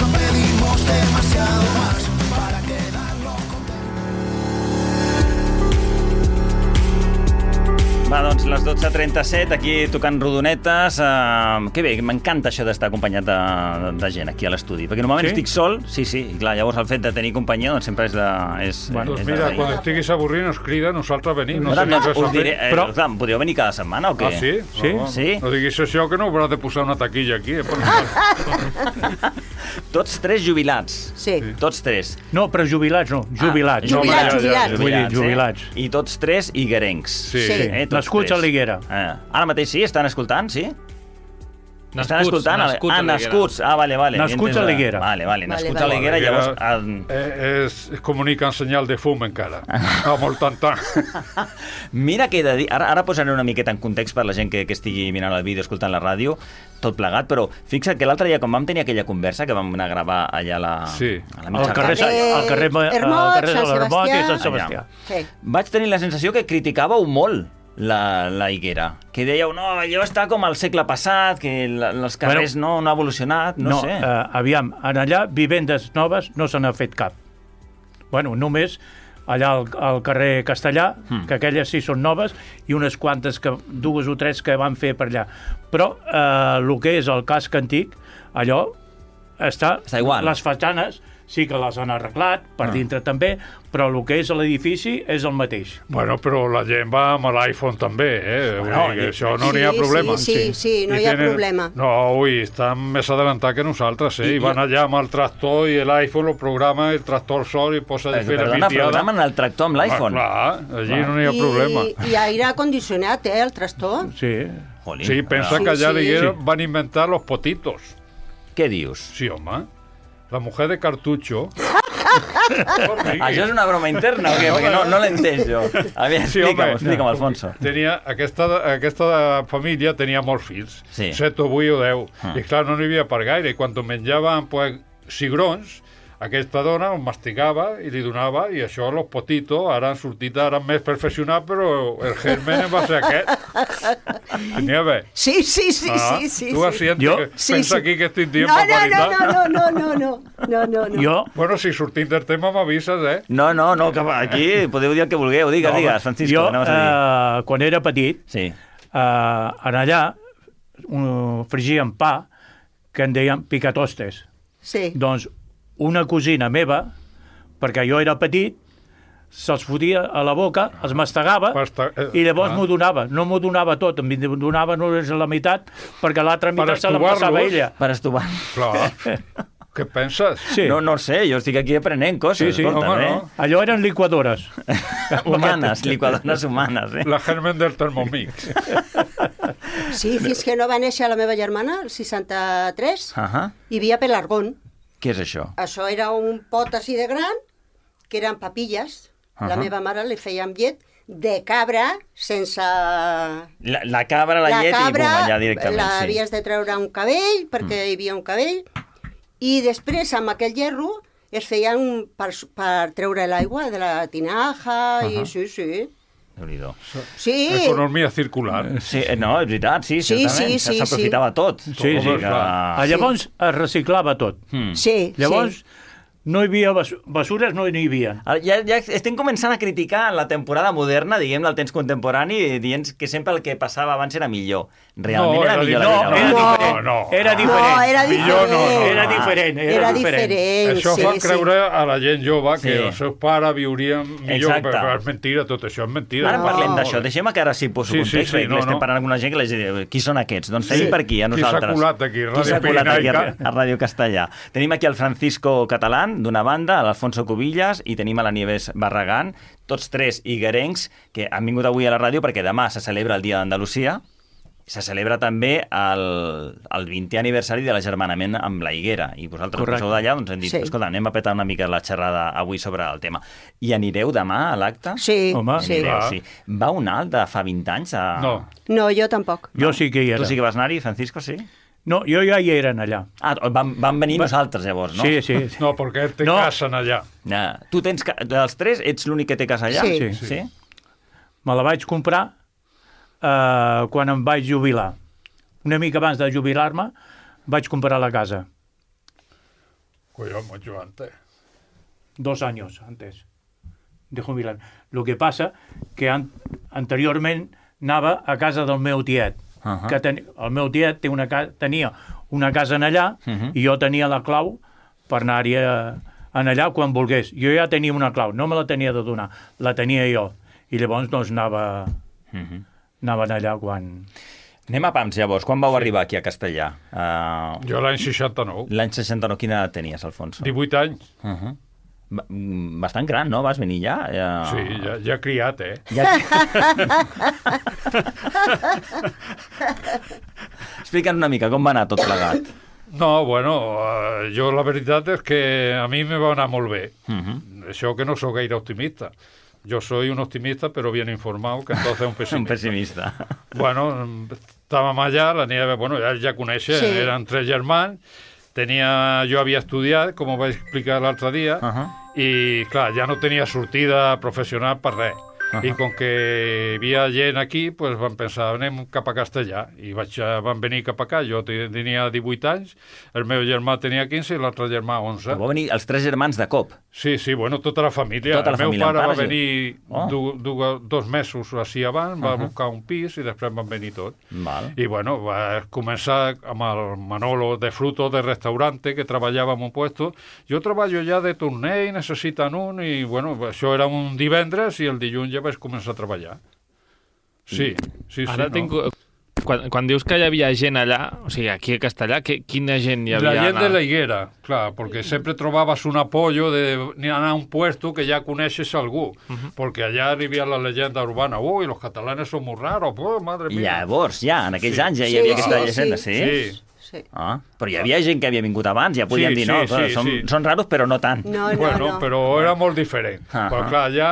No pedimos demasiado más para quedarnos contentos. Va, doncs, les dotze trenta-set, aquí tocant rodonetes. Uh, que bé, m'encanta això d'estar acompanyat de, de gent aquí a l'estudi, perquè normalment sí? estic sol, sí, sí, i clar, llavors el fet de tenir companyia doncs sempre és de... És, bueno, és doncs mira, de quan estiguis avorrit ens crida, nosaltres venim. No, no, sé no, no us diré, eh, però... clar, podríeu venir cada setmana o què? Ah, sí? Sí? No, sí? no diguis això, que no hauràs de posar una taquilla aquí. Eh? Tots tres jubilats. Sí. Tots tres. No, però jubilats no, jubilats. Ah, jubilats, jubilats. Vull dir, jubilats. Eh? I tots tres higuerencs. Sí. sí. Eh, Nascuts a l'Higuera. Eh. Ara mateix sí? Estan escoltant, sí? Nascuts, Estan escoltant? nascuts ah, nascuts. Ah, vale, vale. Nascuts a l'Higuera. Vale, vale, nascuts vale, a l'Higuera, vale. llavors... Eh, es, es comunica en senyal de fum encara. Ah, molt tant, tant. Mira que he de dir... Ara, ara posaré una miqueta en context per la gent que, que estigui mirant el vídeo, escoltant la ràdio, tot plegat, però fixa't que l'altre dia, quan vam tenir aquella conversa, que vam anar a gravar allà a la... Sí. A la al carrer, al carrer, Hermot, al carrer de l'Hermot i Sant Sebastià. Sí. Vaig tenir la sensació que criticàveu molt la, la Higuera, que dèieu, no, allò està com al segle passat, que la, els carrers bueno, no, no ha evolucionat, no, no sé. Uh, aviam, en allà, vivendes noves no se n'ha fet cap. Bueno, només allà al, al carrer Castellà, Mm. que aquelles sí són noves, i unes quantes, que, dues o tres que van fer per allà. Però eh, el que és el casc antic, allò està... Està igual. Les façanes sí que les han arreglat, per Ah. dintre també, però el que és l'edifici és el mateix. Bueno, però la gent va amb l'iPhone també, eh? Vull Bueno, dir que i- això no Sí, n'hi ha problema. sí, sí, sí, no I hi ha problema. No, ui, estan més adelantats que nosaltres, eh? I, van allà amb el tractor i l'iPhone lo programa, el tractor sol i posa Eh, diferent Perdona, mitiada. programen el tractor amb l'iPhone. Ah, clar, allí no n'hi ha I, problema. I aire condicionat, eh, el trastor. Sí. Jolín. Sí, pensa Sí, que allà sí. a l'Higuera van inventar los potitos. Què dius? Sí, home. La mujer de Cartucho... Això és una broma interna o què? Perquè no, no l'entens jo. A veure, Sí, explica'm, home. explica'm, Alfonso. Tenia, aquesta, aquesta família tenia molts fills, Sí. set o vuit o deu, Ah. i clar, no n'hi havia per gaire, i quan menjaven pues, cigrons, aquesta dona els mastigava i li donava, i això, los potitos, ara han sortit ara més perfeccionats, però el germen va ser aquest. Tenia bé. Sí, sí, sí, Ah, sí, sí. tu sí. asientes Jo? que Sí, pensa sí. aquí que estic dient No, no, barbaritat. no, no, no, no, no, no, no, no. Jo, Bueno, si sortim del tema m'avises, eh? No, no, no, que aquí podeu dir el que vulgueu. Digues, no, digues, Francisco, jo anaves a dir. eh, quan era petit, Sí. eh, en allà uh, frigíem pa que en deien picatostes. Sí. Doncs una cosina meva, perquè jo era petit, se'ls fotia a la boca, els mastegava, Pasta- eh, i llavors ah. m'ho donava. No m'ho donava tot, em donava només la meitat, perquè l'altra Per meitat se la passava estovar-los. ella. Per estovar. Clar. Què penses? Sí. No, no sé, jo estic aquí aprenent coses. Sí, sí, escolta, home, eh? no. Allò eren liquadores. Humanes, liquadores humanes, eh? La germen del Thermomix. Sí, fins que no va néixer la meva germana, el seixanta-tres, Ahà. hi havia pelargón. Què és això? Això era un pot així de gran, que eren papilles. La Ahà. meva mare li feia amb llet de cabra sense... La, la cabra, la, llet i bum, allà directament. l'havies Sí. de treure un cabell, perquè hi havia un cabell, i després amb aquell hierro es feien per, per treure l'aigua de la tinaja, i Ahà. sí, sí. Déu-n'hi-do. Sí, Economia circular. Sí, eh, no, és veritat, sí, Sí, certament. sí, sí, S'aprofitava tot. Sí, sí. Vull dir que- Ah, llavors es reciclava tot. Hmm. sí, Llavors, sí. no hi havia bas- basures, no n'hi havia. Ara, Ja, ja estem començant a criticar la temporada moderna, diguem, del temps contemporani, dient que sempre el que passava abans era millor. Realment No, era, era millor diferent. la No, vida era abans. diferent. no. Era No, diferent. era Millor no, no, diferent. Era diferent, era, Era diferent. diferent, Això sí, fa sí. creure a la gent jove que Sí. els seus pares viurien millor, Exacte. però és mentira, tot això és mentira. Ara No. parlem d'això, deixem que ara sí poso Sí, sí, context, sí, perquè no, estem no. parlant amb una gent que les diu, qui són aquests? Doncs tenim Sí. per aquí, a Qui s'ha nosaltres. colat aquí, Qui s'ha Ràdio colat aquí a, Pirinaica? a Ràdio Castellà? Tenim aquí el Francisco Catalán, d'una banda, l'Alfonso Cubillas, i tenim a la Nieves Barragán, tots tres higuerencs que han vingut avui a la ràdio perquè demà se celebra el Dia d'Andalusia. Se celebra també el, el vintè aniversari de l'agermanament amb la Higuera. I vosaltres que Correcte. sou d'allà, doncs hem dit, Sí. escolta, anem a petar una mica la xerrada avui sobre el tema. I anireu demà a l'acte? Sí, Home, sí. Anireu, clar. sí. Va un alt de fa vint anys? A... No. No, jo tampoc. Jo sí que hi era. Tu sí que vas anar-hi, Francisco, sí? No, jo ja hi eren allà. Ah, vam, vam venir Va- nosaltres, llavors, no? Sí, sí. sí. No, perquè ell té No. casa en allà. Ja. Tu tens... Ca... Dels tres, ets l'únic que té casa allà? Sí. Sí. sí? Me la vaig comprar eh, quan em vaig jubilar. Una mica abans de jubilar-me vaig comprar la casa. Collons, mucho antes. Dos años antes de jubilar. Lo que passa que an anteriorment anava a casa del meu tiet. Uh -huh. Que ten el meu tiet té una ca tenia una casa en allà Uh -huh. i jo tenia la clau per anar-hi a- en allà quan volgués. Jo ja tenia una clau, no me la tenia de donar, la tenia jo. I llavors doncs anava, Uh -huh. anava allà quan... Anem a pams, llavors. Quan vau arribar aquí a Castellà? Uh, Jo l'any seixanta-nou, L'any seixanta-nou, quina edat tenies, Alfonso? divuit anys. Uh -huh. Ba- mm, Bastant gran, no? Vas venir ja? ja... Sí, ja, ja criat, eh? Ja... Explica'ns una mica com va anar tot plegat. No, bueno, eh, jo la veritat és que a mi me va anar molt bé. Uh -huh. Això que no sóc gaire optimista. Yo soy un optimista, pero bien informado, que entonces un pesimista. Un pessimista. Bueno, estàvem allà, la Nieves, bueno, ja, ja coneixen, Sí. eren tres germans, tenia, jo havia estudiat, com ho vaig explicar l'altre dia, Uh -huh. i, clar, ja no tenia sortida professional per res. Uh-huh. I com que hi havia gent aquí, pues vam pensar, anem cap a Castellà. I vaig, van venir cap acá. Jo tenia divuit anys, el meu germà tenia quinze i l'altre germà onze. Va venir els tres germans de cop? Sí, sí, bueno, tota la família. Tota la el meu família, pare pare, va venir oh. du, du, dos mesos així abans, va Uh-huh. buscar un pis i després van venir tots. Val. I bueno, va començar amb el Manolo de Fruto de restaurante, que treballava en un puesto. Jo treballo ja de torner i necessiten un, i bueno, això era un divendres i el dilluns ja vaig començar a treballar. Sí, sí, sí. Ara no? tinc... Quan, quan dius que hi havia gent allà, o sigui, aquí a Castellà, que, quina gent hi havia? La gent anar? de la higuera, clar, perquè sempre trobaves un apoyo de anar a un puesto que ja coneixes algú, uh-huh. perquè allà arribia la llegenda urbana, ui, los catalanes son muy raros, oh, madre mía. Llavors, ja, en aquells sí. anys ja hi sí, havia sí, aquesta sí, llegenda, sí? sí? Sí. Sí. Ah, però hi havia gent que havia vingut abans, ja podíem sí, dir, no, sí, sí, sí, són, sí. són raros però no tant. No, no, bueno, no. però era molt diferent. Ah, però ah. clar, allà,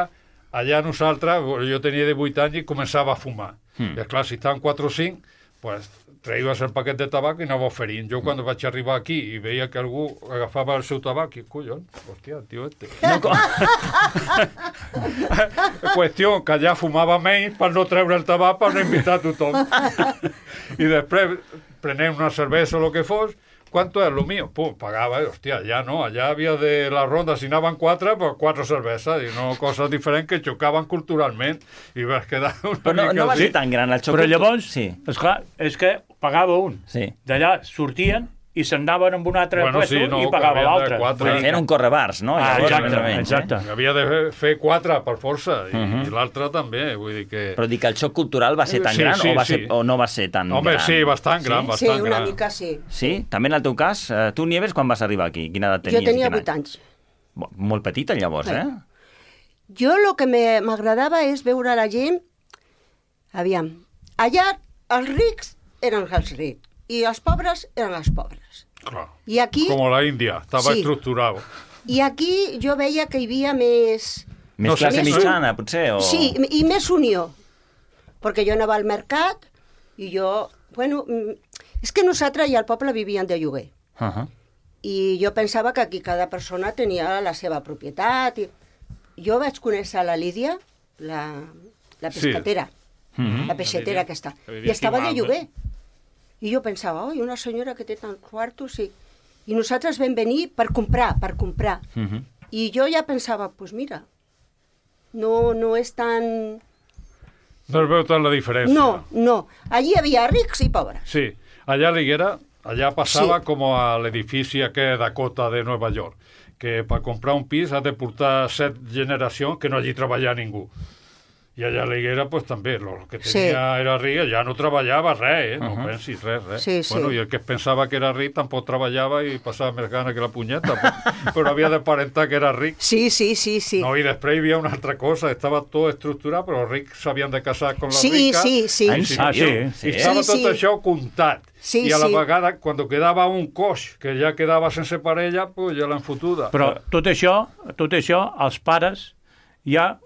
allà nosaltres, jo tenia divuit anys i començava a fumar. Hmm. I clar, si estaven quatre o cinc, pues traies el paquet de tabac i anava oferint. Jo quan vaig arribar aquí i veia que algú agafava el seu tabac, i collons, hòstia, tio este. No, com... Qüestió que allà fumava menys per no treure el tabac per no invitar a tothom. I després prenem una cervesa o el que fos. ¿Cuánto es lo mío? Pum, pagava, hòstia, allà no, allà havia de la ronda, si anaven quatre, pues quatre cerveses, i no coses diferents que xocaven culturalment, i vas quedar una Però no, mica... no va així. ser tan gran el xoc. Però llavors, Sí. esclar, és que pagava un. Sí. D'allà sortien i se'n anaven amb un altre Bueno, puesto sí, no, i que pagava havien de l'altre. quatre. Vull dir Feien que- un correbars, no? Ah, Llavors, exacte, més o menys, exacte. Eh? Havia de fer quatre per força, i, Mhm. i l'altre també, vull dir que... Però dic que el xoc cultural va ser tan Sí, gran sí, o, va sí. ser, o no va ser tan Home, gran? sí, bastant gran, Sí, bastant una gran. mica sí. Sí? També en el teu cas? Eh, Tu, Nieves, quan vas arribar aquí? Quina edat tenies? Jo tenia i quin vuit anys. Bo- Molt petita, llavors, eh? Jo el que me- m'agradava és veure la gent... Aviam, allà els rics eren els rics i els pobres eren els pobres. Clar. I aquí, Com la Índia, estava Sí. estructurat. i aquí jo veia que hi havia més... Més No sé, classe més- mitjana, potser? O... Sí, i més unió. Perquè jo anava al mercat i jo... Bueno, mm, és que nosaltres i al poble vivíem de lloguer. Uh -huh. I jo pensava que aquí cada persona tenia la seva propietat. I... Jo vaig conèixer la Lídia, la, la Sí. pescatera, Mhm. la peixetera aquesta, que vivia i estava aquí de mal, lloguer. I jo pensava, oi, una senyora que té tants quartos, i... I nosaltres vam venir per comprar, per comprar. Mhm. I jo ja pensava, doncs pues mira, no, no és tan... No es veu tant la diferència. No, no. Allí hi havia rics i pobres. Sí, allà a l'Higuera, allà passava Sí. com a l'edifici aquest Dakota de Nova York, que per comprar un pis has de portar set generacions que no hagi treballat ningú. I allà a l'Higuera, pues, també, el que Sí. tenia era ric, ja no treballava res, eh? no Uh-huh. pensis res, res. Sí, sí. Bueno, i el que es pensava que era ric tampoc treballava i passava més gana que la punyeta, però, però havia de parentar que era ric. Sí, sí, sí, sí. No, i després hi havia una altra cosa, estava tot estructurat, però els rics s'havien de casar amb la Sí, rica. sí, sí. Ah, en Ah, sí, I sí. estava Sí, tot sí. això comptat. Sí, I a la sí. vegada, quan quedava un coix que ja quedava sense parella, pues ja l'han fotuda. Però tot això, tot això, els pares ja...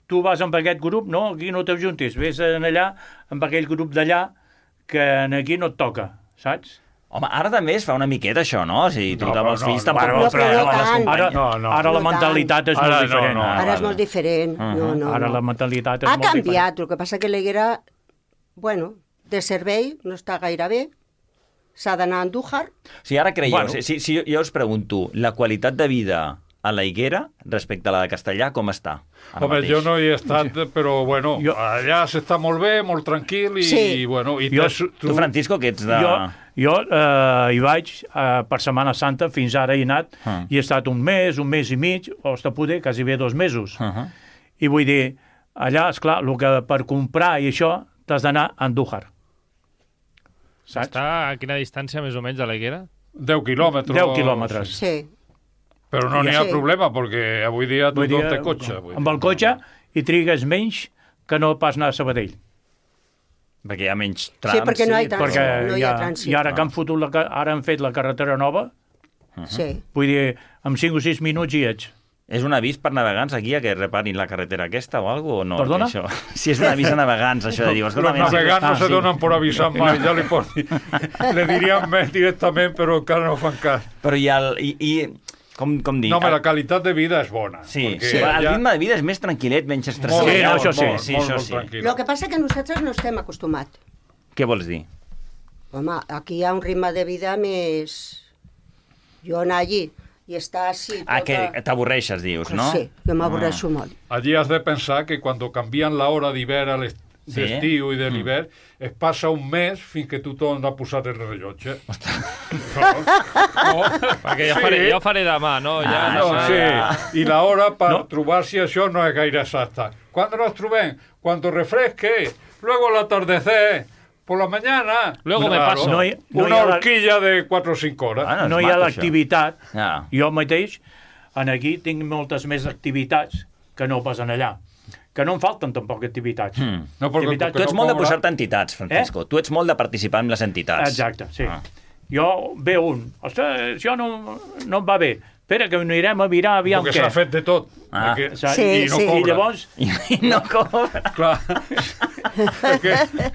Tu vas amb aquest grup, no, aquí no t'ajuntis, vés en allà, amb aquell grup d'allà, que aquí no et toca, saps? Home, ara també es fa una miqueta això, no? O sigui, tu No, amb però els no, fills no, tampoc... no, però no les tant. companyes. Ara, No, no. ara la No mentalitat és Ara molt no, diferent. no. Ara és vale. molt diferent. No, no, Ara no. la mentalitat és Ha molt diferent. canviat, el que passa que l'Higuera, bueno, de servei no està gaire bé, s'ha d'anar a Andújar. Si ara creieu, Bueno. si, si, si jo us pregunto, la qualitat de vida a la Higuera respecte a la de Castellà, com està? ara Home, mateix? jo no hi he estat, però bueno, Jo- allà s'està molt bé, molt tranquil, i, Sí. i bueno... I Jo- t'has- Tu, Francisco, que ets de... Jo, jo eh, hi vaig eh, per Setmana Santa, fins ara he anat, Ah. i he estat un mes, un mes i mig, o hasta poder, quasi bé dos mesos. Uh -huh. I vull dir, allà, esclar, el que per comprar i això, t'has d'anar a Andújar. Saps? Està a quina distància, més o menys, de la Higuera? deu quilòmetres. deu quilòmetres. Sí. Però no n'hi ha Sí. problema, perquè avui dia Vull tothom dir, té cotxe. Vull dir. amb el cotxe hi trigues menys que no pas anar a Sabadell. Perquè hi ha menys trams. Sí, perquè no hi ha trams. Perquè no hi ha ja, trànsit. i ara que han fotut la, ca- ara han fet la carretera nova, Sí. vull dir, en cinc o sis minuts hi ets. És un avís per navegants aquí a que reparin la carretera aquesta o alguna cosa, o no? Perdona? Això? Si és un avís a navegants, això de dir... Los escolta, navegants no Ah, se sí. donen por avisar mai, ja li pot dir. Le diríem més directament, però encara no fan cas. Però i, el, i, i Com, com dir? No, home, la qualitat de vida és bona. Sí, perquè sí. El ja- ritme de vida és més tranquil·let, menys estressat. Molt, Sí, no, molt, això sí. molt, Sí, molt, això molt sí. tranquil. El que passa que nosaltres no estem acostumats. Què vols dir? Home, aquí hi ha un ritme de vida més... Jo anar allí i estar així... Ah, tota- que t'avorreixes, dius, no? Sí, jo m'avorreixo molt. Allí has de pensar que quan canvien l'hora d'hivern a l'est- Sí. d'estiu i de l'hivern, es passa un mes fins que tu tornes a posar el rellotge. No, no. Perquè ja, faré, ja ho faré demà, no? Ja, Ah, no, no, sí. I la hora per no. trobar-se això no és gaire exacta. ¿Cuándo nos trobem? Cuando refresque, luego al atardecer, por la mañana. Luego me paso. No hi- no Una hi ha la- horquilla de quatre o cinc hores. Ah, No és hi ha maco, l'activitat. això. Ja. Jo mateix, en aquí, tinc moltes més activitats que no pas en allà. Que no em falten tampoc activitats. Mm. No, perquè- Activitats- Tu ets molt de cobra- posar-te entitats, Francisco. Eh? Tu ets molt de participar en les entitats. Exacte, sí. Ah. Jo ve un, ostres, això no, no em va bé. Espera, que anirem a mirar aviam Perquè què. s'ha fet de tot. Ah. Perquè- Saps? Sí, I no sí. cobra. I llavors, I, I no cobra. Clar. Perquè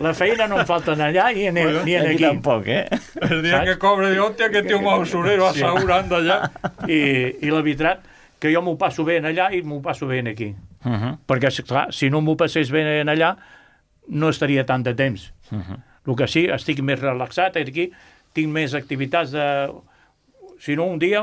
la feina no em falta en allà ni en, ni en Aquí aquí. tampoc, eh? el dia que cobre de hòstia que té un mausolero Sí. assegurant d'allà. I, i la veritat que jo m'ho passo bé en allà i m'ho passo bé en aquí. Uh -huh. Perquè, clar, si no m'ho passés bé en allà, no estaria tant de temps. Uh -huh. El que sí, estic més relaxat aquí, tinc més activitats de... Si no, un dia,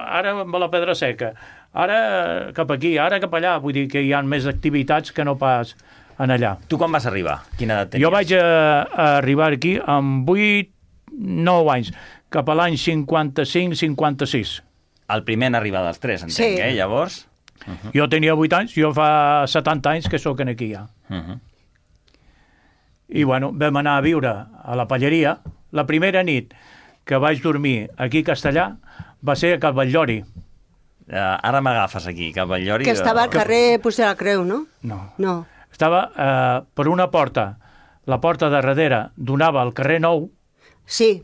ara amb la Pedra Seca, ara cap aquí, ara cap allà, vull dir que hi ha més activitats que no pas en allà. Tu quan vas arribar? Quina edat tenies? Jo vaig a, a arribar aquí amb vuit, nou anys, cap a l'any cinquanta-cinc cinquanta-sis. El primer en arribar dels tres, entenc, Sí. eh? Llavors... Jo tenia vuit anys, jo fa setanta anys que sóc aquí ja. Uh -huh. I, bueno, vam anar a viure a la Palleria. La primera nit que vaig dormir aquí a Castellà va ser a Cal Batllori. Uh, ara m'agafes aquí, cap al llori. Que estava al carrer Puig de la Creu, no? No. No. Estava eh, per una porta, la porta de darrere donava al carrer Nou Sí,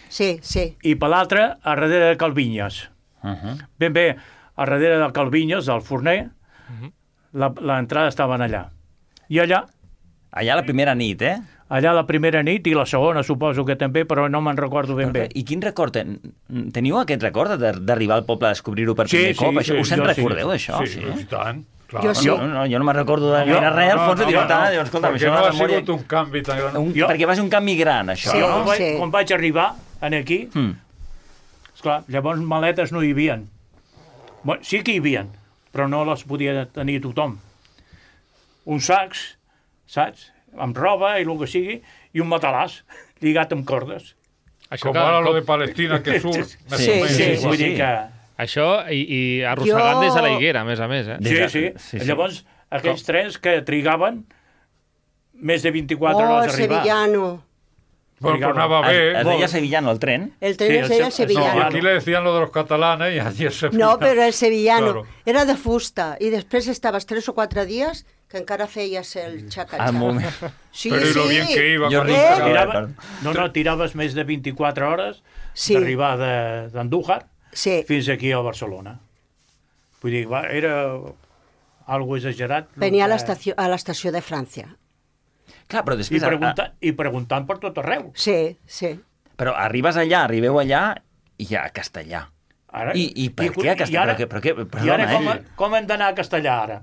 sí, sí. i per l'altra a darrere de Calvinyes. Uh -huh. Ben bé, a darrere de Calvinyes, del forner, la- l'entrada estaven allà. I allà, Allà la primera nit, eh? allà la primera nit i la segona suposo que també, però no me'n recordo ben bé. I quin record ten... Teniu aquest record de- d'arribar al poble a descobrir-ho per Sí, primer sí, cop? Això, sí, us en jo sí. recordeu, d'això? Sí, i tant. Clar. Jo sí. Jo, no, jo no me'n recordo de gaire Jo- res, Alfons, no, dic, no, tant, no, dius, escolta, perquè això no de ha memòria... sigut un canvi tan gran. Un, Jo- Perquè va ser un canvi gran, això. Sí, Jo, no? quan, vaig, sí. quan vaig arribar en aquí, Mm. esclar, llavors maletes no hi havien. Bueno, sí que hi havien, però no les podia tenir tothom. Uns sacs, saps? Amb roba i el que sigui, i un matalàs lligat amb cordes. Això Com que- ara lo com- de Palestina, que surt... Sí, més sí, o menys sí, igual. vull dir que... Això i, i arrossegant Jo- des de la higuera, a més a més, eh? Des Sí, de- sí. sí, sí. Llavors, aquells trens que trigaven més de vint-i-quatre Oh, el hores a arribar. sevillano. Bueno, pues anava Es, bé. es deia Sevillano, el tren? El tren Sí, es el deia se- No, sevillano. aquí le decían lo de los catalanes y allí es sevillano. No, però el sevillano Claro. era de fusta i després estaves tres o quatre dies que encara feies el xaca-xaca. Al moment. Sí, Pero y lo sí. bien que iba Jo con ric, el Eh? chaval. Tirava, no, no, tiraves més de vint-i-quatre hores Sí. d'arribar de- d'Andújar Sí. fins aquí a Barcelona. Vull dir, va, era algo exagerat. Venia a que- l'estació a l'estació de França. Clar, però I, després... pregunta, I preguntant per tot arreu. Sí, sí. Però arribes allà, arribeu allà i a Castellà. Ara, I, i per què a I Castellà? ara, Però, què- però, què- i perdona, ara com, eh? com hem d'anar a Castellà, ara?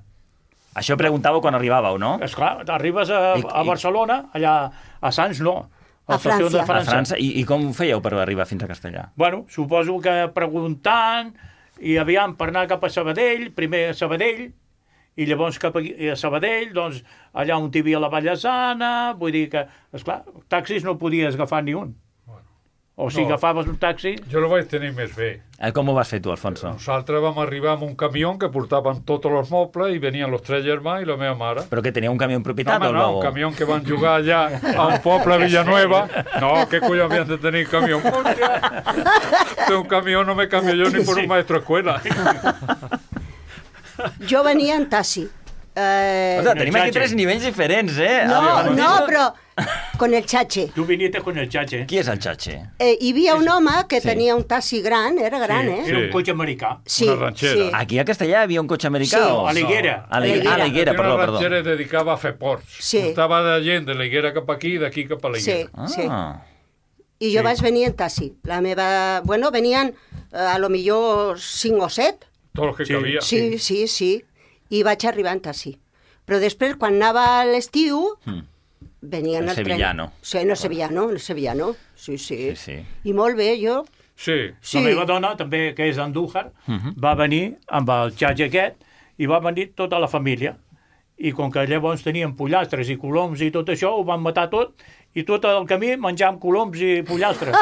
Això preguntàveu quan arribàveu, no? Esclar, arribes a, I- a i- Barcelona, allà a Sants no. A l'estació de França. A França. França. I, I com ho fèieu per arribar fins a Castellà? Bueno, suposo que preguntant, i aviam per anar cap a Sabadell, primer a Sabadell, i llavors cap a, a Sabadell, doncs allà on hi havia la Vallesana, vull dir que, esclar, taxis no podies agafar ni un. O si No. agafaves un taxi... Jo lo vaig tenir més bé. Eh, com ho vas fer tu, Alfonso? Nosaltres vam arribar amb un camió que portaven tots els mobles i venien els tres germans i la meva mare. Però que tenia un camió en No, propietat home, o no, un camió que van jugar allà a un poble a Villanueva. No, què coi havien de tenir camió? Hòstia, té un camió, no me cambio yo ni por un maestro de escuela. Jo venia en taxi. Eh, O sea, tenim aquí tres nivells diferents, eh? no, El- no, però con el chache. Tu venies con el xatxe. Qui és el Chache? Eh, hi havia un home que Sí. tenia un taxi gran, era gran, Sí, eh? era un Sí. cotxe americà. Sí, Una ranxera. sí. Aquí a Castellà hi havia un cotxe americà? Sí. o? A l'Higuera. A l'Higuera, ah, a l'Higuera, Era perdó, una perdó. ranxera dedicada a fer ports. Sí. Portava de gent de la higuera cap aquí i d'aquí cap a la Sí, higuera. Ah, sí. I jo Sí. vaig venir en taxi. La meva... Bueno, venien eh, a lo millor cinc o set. Tots els que Sí. cabia. Sí, sí, sí. I vaig arribar en taxi. Però després, quan anava a l'estiu, Mm. venien El al tren. sevillano. Sí, en el sevillano, en el sevillano. Sí, sí. Sí, sí. I molt bé, jo... Sí. Sí. La meva dona, també, que és d'Andújar, Mhm. va venir amb el xatge aquest i va venir tota la família. I com que llavors tenien pollastres i coloms i tot això, ho van matar tot i tot el camí menjàvem coloms i pollastres.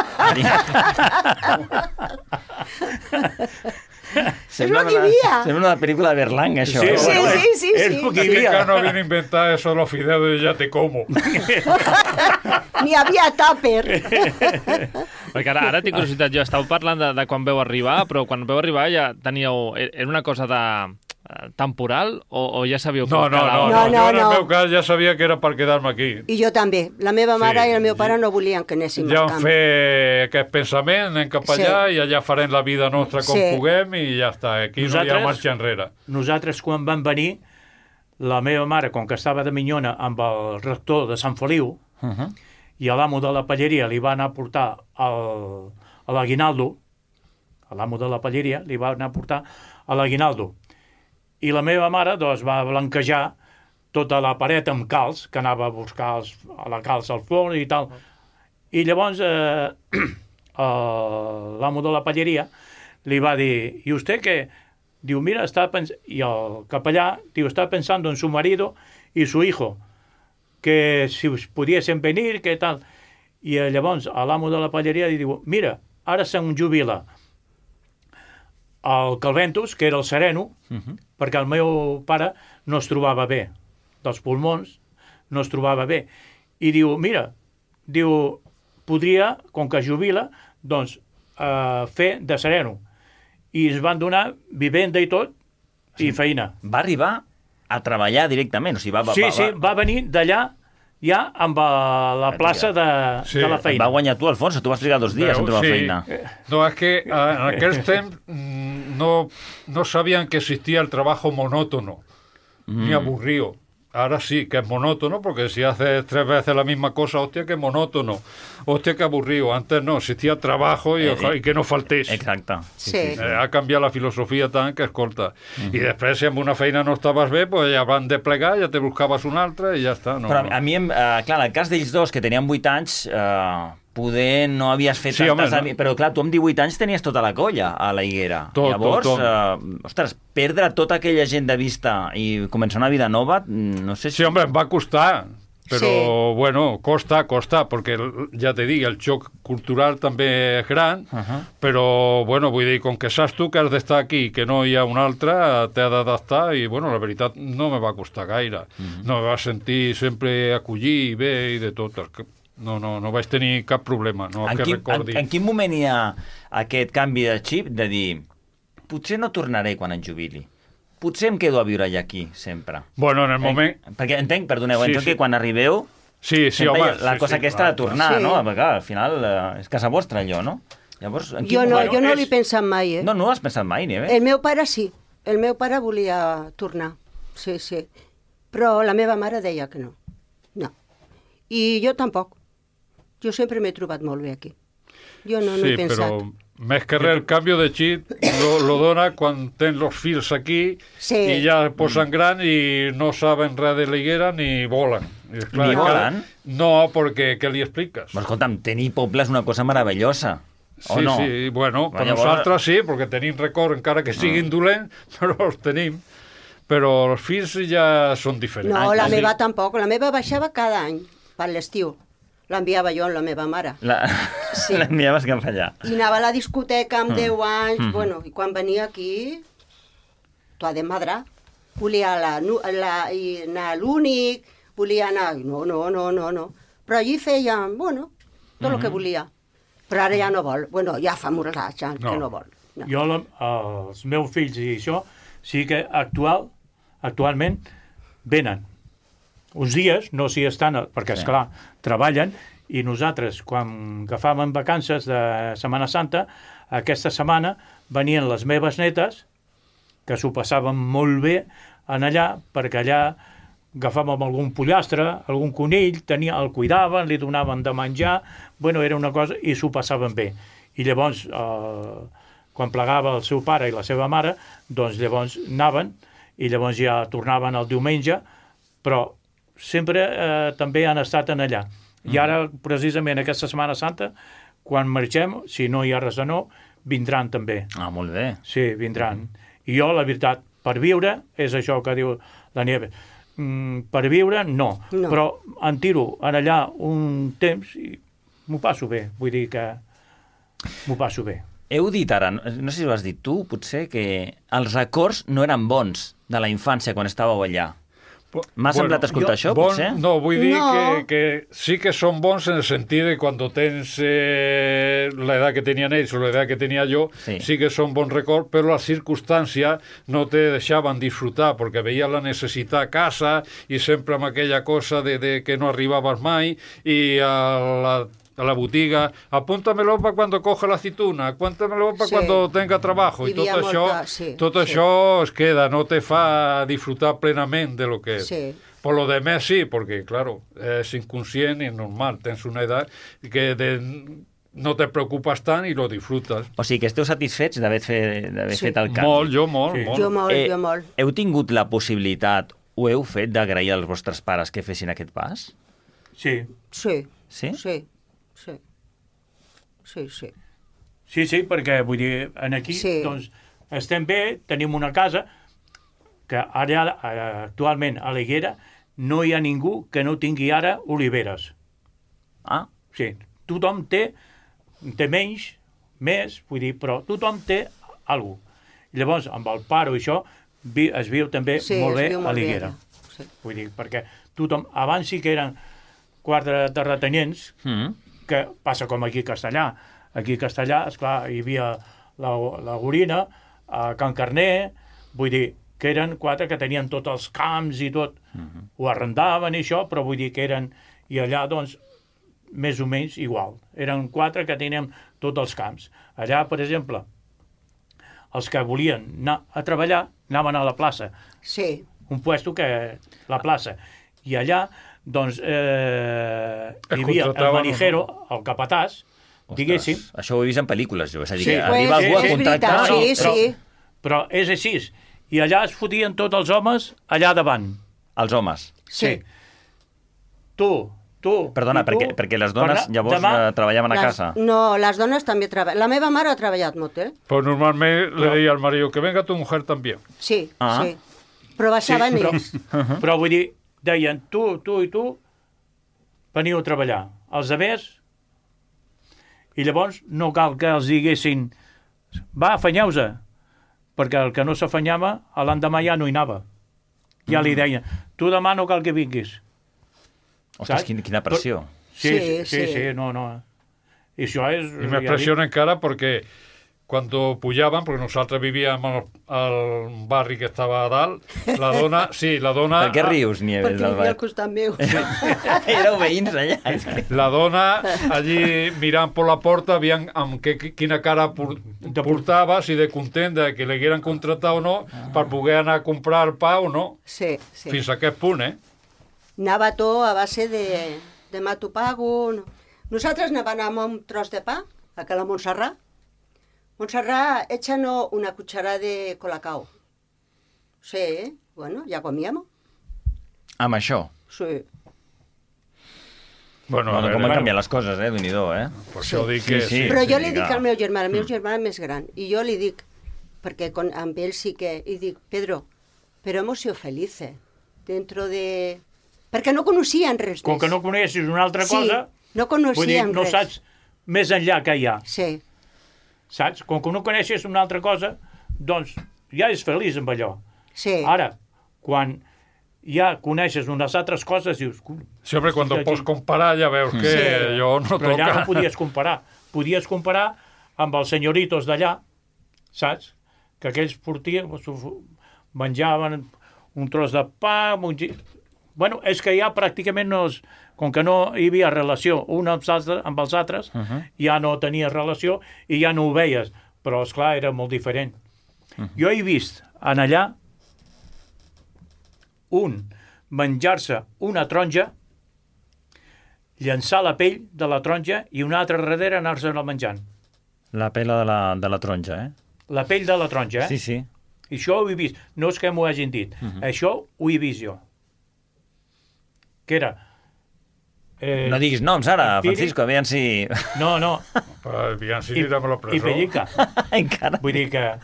Sembla lo que hi una, havia. sembla una pel·lícula de Berlanga, això. Sí, eh? Sí, bueno, sí, sí, és sí. el que hi Aquí havia. encara no havien inventado eso de los fideos de ya te como. N'hi havia tàper. Perquè ara, ara tinc curiositat, jo estàu parlant de, de quan veu arribar, però quan veu arribar ja teníeu... Era una cosa de eh, temporal o, o ja sabíeu que No, us no, quedava? no, No, no, no, jo en el no. meu cas ja sabia que era per quedar-me aquí. I jo també. La meva mare Sí, i el meu pare sí. no volien que anéssim Ja al hem camp. fet aquest pensament, anem cap Sí. allà i allà farem la vida nostra com Sí. puguem i ja està, aquí no hi Nosaltres- ha marxa enrere. Nosaltres, quan vam venir, la meva mare, com que estava de minyona amb el rector de Sant Feliu, Uh -huh. i a l'amo de la palleria li va anar a portar el, a l'aguinaldo, a l'amo de la palleria li va anar a portar a l'aguinaldo. I la meva mare doncs, va blanquejar tota la paret amb calç, que anava a buscar els, a la calç al forn i tal. I llavors eh, eh, l'amo de la palleria li va dir, ¿y usted qué? Diu, mira, está pens... i el capellà diu, está pensando en su marido y su hijo, que si us pudiesen venir, que tal. I eh, llavors l'amo de la palleria li diu, mira, ara se'n jubila el Calventus, que era el sereno, Uh -huh. perquè el meu pare no es trobava bé, dels pulmons, no es trobava bé. I diu, mira, diu, podria, com que jubila, doncs, eh, fer de sereno. I es van donar vivenda i tot, i feina. Va arribar a treballar directament, o sigui, va... va Sí, va, sí, va venir d'allà ja amb eh, la plaça de, Sí. de la Va feina. guanyar tu, Alfonso, tu vas trigar dos dies Veu, en trobar sí. feina. No, és que eh, en aquells temps mm, no, no sabían que existía el trabajo monótono, ni aburrido. Ahora sí, que es monótono, porque si haces tres veces la misma cosa, hostia, que monótono. Hostia, que aburrido. Antes no, existía trabajo y, Eh, oja, y que no faltés. Exacte. Sí. Eh, ha canviat la filosofia tant que és corta. I després, si amb una feina no estaves bé, pues ja van de plegar, ja te buscaves una altra i ja està. No, Però no. a mi, em- eh, clar, en el cas d'ells dos, que tenien vuit anys, eh, poder no havies fet Sí, tantes... home, no. ami- Però clar, tu amb divuit anys tenies tota la colla a la Higuera. Tot, Llavors, tot, tot. Eh, ostres, perdre tota aquella gent de vista i començar una vida nova, mm, no sé si... Sí, hombre, em va costar. Però, Sí. bueno, costa, costa, perquè, ja te dic, el xoc cultural també és gran, Uh -huh. però, bueno, vull dir, com que saps tu que has d'estar aquí i que no hi ha un altre, t'has d'adaptar i, bueno, la veritat, no me va costar gaire. Uh -huh. No me va sentir sempre acollir i bé i de tot. És que No, no, no vaig tenir cap problema, no En que quin, recordi. en, en quin moment hi ha aquest canvi de xip de dir potser no tornaré quan em jubili? Potser em quedo a viure allà aquí, sempre. Bueno, en el moment... Eh? Perquè entenc, perdoneu, Sí, entenc sí. que quan arribeu Sí, sí, sempre hi home... ha la sí, cosa sí, aquesta clar, de tornar, clar. no? Sí. Perquè, clar, al final eh, és casa vostra, allò, no? Llavors, en quin Jo no, moment... jo no és- l'he pensat mai, eh? No, no ho has pensat mai, ni bé. El meu pare sí. El meu pare volia tornar. Sí, sí. Però la meva mare deia que no. No. I jo tampoc. Jo sempre m'he trobat molt bé aquí. Jo no, no sí, he pensat. però més que res el canvi de xip lo, lo dona quan tens els fills aquí Sí. i ja posen gran i no saben res de la higuera ni volen. I és Ni que- volen? No, perquè què li expliques? Però escolta'm, tenir poble és una cosa meravellosa. O Sí, no? sí, bueno, per Llavors- nosaltres sí, perquè tenim record, encara que siguin dolents, però els tenim. Però els fills ja són diferents. No, la Ah, sí. meva tampoc. La meva baixava cada any, per l'estiu. L'enviava jo amb la meva mare. La... Sí. L'enviaves cap allà. I anava a la discoteca amb Mm. deu anys, Mhm. bueno, i quan venia aquí, t'ho ha de madrar. Volia la, nu- la, i anar a l'únic, volia anar... No, no, no, no, no. Però allí feia, bueno, tot el que Mhm. volia. Però ara ja no vol. Bueno, ja fa molt anys ja, No. que no vol. No. Jo, la, els meus fills i això, sí que actual, actualment venen. Uns dies, no s'hi estan, perquè, Sí. esclar, treballen, i nosaltres, quan agafàvem vacances de Setmana Santa, aquesta setmana venien les meves netes, que s'ho passaven molt bé en allà, perquè allà agafàvem algun pollastre, algun conill, tenia, el cuidaven, li donaven de menjar, bueno, era una cosa, i s'ho passaven bé. I llavors, eh, quan plegava el seu pare i la seva mare, doncs llavors anaven, i llavors ja tornaven el diumenge, però sempre eh, també han estat en allà. I ara, precisament, aquesta Setmana Santa, quan marxem, si no hi ha res de nou, vindran també. Ah, molt bé. Sí, vindran. I jo, la veritat, per viure, és això que diu la Nieves, mm, per viure, no. no. Però en tiro en allà un temps i m'ho passo bé. Vull dir que m'ho passo bé. Heu dit ara, no sé si ho has dit tu, potser, que els records no eren bons de la infància quan estàveu allà. M'ha bueno, semblat escoltar jo, això, bon, potser? No, vull dir no. Que, que sí que són bons en el sentit de quan tens eh, l'edat que tenien ells o l'edat que tenia jo, sí. sí que són bons records, però les circumstàncies no te deixaven disfrutar, perquè veies la necessitat a casa i sempre amb aquella cosa de, de que no arribaves mai i a la a la botiga, apúntamelo para cuando coja la aceituna, cuéntamelo para sí. cuando tenga trabajo, i tot, això, molta, sí, tot sí. això es queda, no te fa disfrutar plenament de lo que és. Sí. Por lo demás sí, porque claro, es inconscient y normal, tens una edat que de, no te preocupes tant i lo disfrutes. O sigui que esteu satisfets d'haver fet, sí. fet el canvi. Molt, jo molt. Sí. molt. Jo molt, eh, jo molt. Heu tingut la possibilitat, ho heu fet, d'agrair als vostres pares que fessin aquest pas? Sí. Sí. Sí? Sí. Sí. Sí, sí. Sí, sí, perquè vull dir, en aquí sí. doncs, estem bé, tenim una casa que ara, actualment a l'Higuera no hi ha ningú que no tingui ara oliveres. Ah. Sí, tothom té, té menys, més, vull dir, però tothom té alguna cosa. Llavors, amb el paro i això, vi, es viu també sí, molt bé molt a l'Higuera. Sí. Vull dir, perquè tothom, abans sí que eren quatre terratenients, mm. que passa com aquí a Castellà. Aquí a Castellà, esclar, hi havia la, la Gorina, a Can Carner, vull dir, que eren quatre que tenien tots els camps i tot, uh-huh. ho arrendaven i això, però vull dir que eren, i allà, doncs, més o menys igual. Eren quatre que tenien tots els camps. Allà, per exemple, els que volien anar a treballar anaven a la plaça. Sí. Un puesto que... la plaça. I allà doncs eh, hi havia el manijero, el capatàs, ostres, diguéssim. Això ho he vist en pel·lícules, jo. És a dir, sí, que pues, arriba algú a contractar... Veritat, sí, però, sí. Però és així. I allà es fotien tots els homes allà davant. Els homes? Sí. Tu, tu... Perdona, tu, perquè, perquè les dones per, llavors demà, treballaven a les, casa. No, les dones també treballen. La meva mare ha treballat molt, eh? Però normalment però... le deia al marido que venga tu mujer també. Sí, ah. sí. Però baixaven sí, ells. Però, uh-huh. però vull dir, deien, tu, tu i tu, veniu a treballar. Els altres, i llavors no cal que els diguessin va, afanyeu-se, perquè el que no s'afanyava, l'endemà ja no hi anava. Ja li deien, tu demà no cal que vinguis. Ostres, quina, quina pressió. Sí, sí, sí, sí, sí, no, no. I això és... I me pressiona encara perquè cuando pujaban, porque nosotros vivíamos al barri que estaba a dalt, la dona, sí, la dona... Per què rius, Nieves? Perquè vivia al costat meu. Éreu veïns allà. La dona, allí mirant per la porta, veien amb que, quina cara portava, si de content de que l'hagueren contractat o no, ah. per poder anar a comprar el pa o no. Sí, sí. Fins a aquest punt, eh? Anava tot a base de, de mato pago. No. Nosaltres anàvem amb un tros de pa, a la Montserrat. Montserrat, échanos una cucharada de colacao. Sí, bueno, ya comíamos. Amb això? Sí. Bueno, bueno, a com veure, han canviat les coses, eh, Déu-n'hi-do, eh? Per això sí. dic que... Sí, sí. Però jo sí, li dic dic al meu germà, el meu mm. germà és més gran, i jo li dic, perquè con, amb ell sí que... I dic, Pedro, però hemos sido felices dentro de... Perquè no coneixien res Com més. que no coneixes una altra cosa... Sí, no coneixien vull dir, no res. saps més enllà que hi ha. Sí. Saps? Com que no coneixes una altra cosa, doncs ja és feliç amb allò. Sí. Ara, quan ja coneixes unes altres coses, dius... Sempre quan ho pots comparar ja veus que sí. allò no Però toca. allà no podies comparar. Podies comparar amb els senyoritos d'allà, saps? Que aquells portien, menjaven un tros de pa... Un... Bueno, és que ja pràcticament no... Es... Com que no hi havia relació un amb els altres, amb els altres uh-huh. ja no tenies relació i ja no ho veies. Però, esclar, era molt diferent. Uh-huh. Jo he vist en allà un menjar-se una taronja, llançar la pell de la taronja i una altra darrere anar-se-la menjant. La pela de la, de la taronja, eh? La pell de la taronja, eh? Sí, sí. I això ho he vist. No és que m'ho hagin dit. Uh -huh. Això ho he vist jo. Que era... Eh, no diguis noms ara, Francisco, aviam si... No, no. Aviam si anirem a la presó. I pellica. Encara. Vull dir que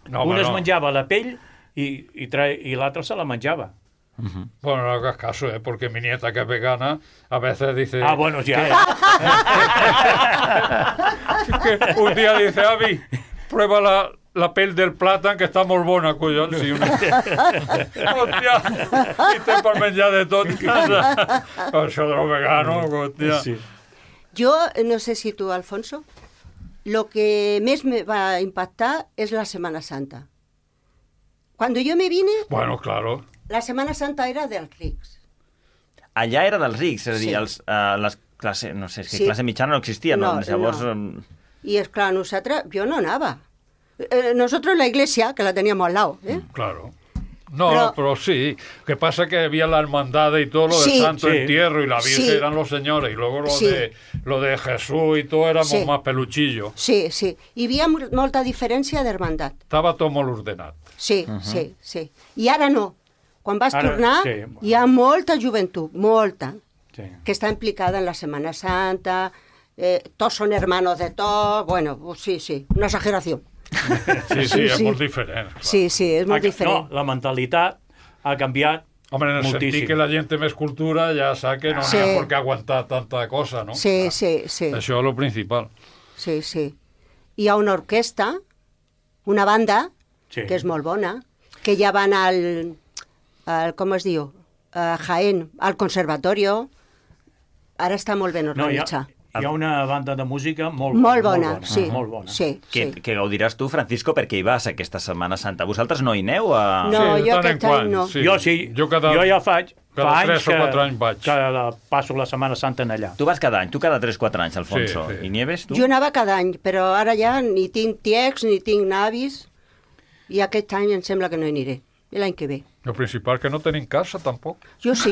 no, un es no. menjava la pell i, i, tra... i l'altre se la menjava. Uh-huh. Bueno, no hagas caso, ¿eh? Porque mi nieta, que es vegana, a veces dice... Ah, bueno, ya. Que, que un día dice, Avi, prueba la, la pel del plàtan, que està molt bona, collons. Sí, una... hòstia, i té per menjar de tot. Això de lo vegano, hòstia. Sí. Yo, no sé si tú, Alfonso, lo que més me va impactar es la Semana Santa. Cuando yo me vine... Bueno, claro. La Semana Santa era dels rics. Allà era dels rics, és a dir, Sí. els, uh, les classe, no sé, és que Sí. classe mitjana no existia, no? No, Llavors... no. em, Y es claro, nosotros, yo no nada. Eh, nosotros la iglesia, que la teníamos al lado, ¿eh? Claro. No, Pero- pero, sí. Que pasa que había la hermandad y todo lo Sí. del Santo Sí. Entierro y la Virgen Sí. eran los señores. Y luego lo, Sí. de, lo de Jesús y todo éramos Sí. más peluchillos. Sí, sí. Hi havia mo- molta diferència d'hermandat. Estaba todo molt ordenat. Sí, uh -huh. sí, sí. I ara no. Quan vas Ara, tornar, sí. hi ha molta joventut, molta, Sí. que està implicada en la Semana Santa, eh, tots són hermanos de tots, bueno, pues sí, sí, una exageració. Sí, sí, és molt diferent. clar. Sí, sí, és molt Ha- diferent. No, la mentalitat ha canviat Hombre, en el moltíssim. sentit que la gent té més cultura, ja sap que no Sí. n'hi ha per què aguantar tanta cosa, no? Sí, sí, sí. Això és el principal. Sí, sí. Hi ha una orquestra, una banda, Sí. que és molt bona, que ja van al, al com es diu, a Jaén, al conservatorio. Ara està molt ben No, hi ha, organitzat. hi ha una banda de música molt, Molt bona, sí, Molt bona. sí, que, que gaudiràs tu, Francisco, perquè hi vas aquesta Setmana Santa. Vosaltres no hi aneu a... No, jo aquest any no. sí. Jo sí, Jo cada- jo ja faig, cada fa tres anys o que, quatre anys vaig. que la, passo la Setmana Santa en allà. Tu vas cada any, tu cada tres o quatre anys, Alfonso. Sí, sí. I Nieves, tu? Jo anava cada any, però ara ja ni tinc tiets ni tinc navis i aquest any em sembla que no hi aniré. I l'any que ve. El principal que no tenim casa, tampoc. Jo sí,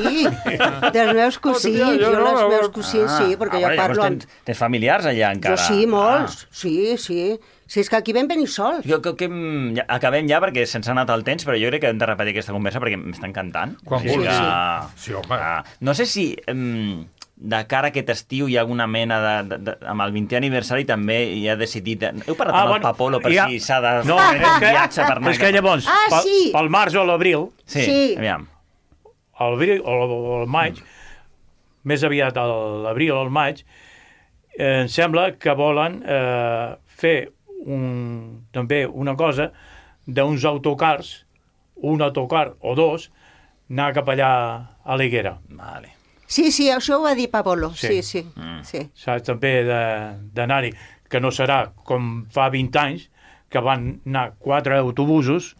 dels meus cosins, Hòstia, jo jo no, els a meus veure. cosins sí, perquè jo Ah, llavors parlo amb... Tens, tens familiars allà encara? Jo sí, molts, Ah. sí, sí. Si és que aquí vam venir sols. Jo crec que mm, ja, acabem ja perquè se'ns ha anat el temps, però jo crec que hem de repetir aquesta conversa perquè m'està encantant. Quan O sigui vulguis. que- Sí, home. Ah, no sé si mm, de cara a aquest estiu hi ha alguna mena de... de, de amb el vintè aniversari també hi ha decidit... Heu parlat Ah, amb el bueno, Papolo per hi ha- si s'ha de No, fer és un que- viatge per anar... És que llavors, Ah, pel, sí. pel març o l'abril, Sí, Sí. aviam. al abril o al maig, més aviat a l'abril o al maig, eh, em sembla que volen eh, fer un, també una cosa d'uns autocars, un autocar o dos, anar cap allà a l'Higuera. Vale. Sí, sí, això ho va dir Pablo, sí, Sí. sí, Mm. sí. Saps, també de- d'anar-hi, que no serà com fa vint anys, que van anar quatre autobusos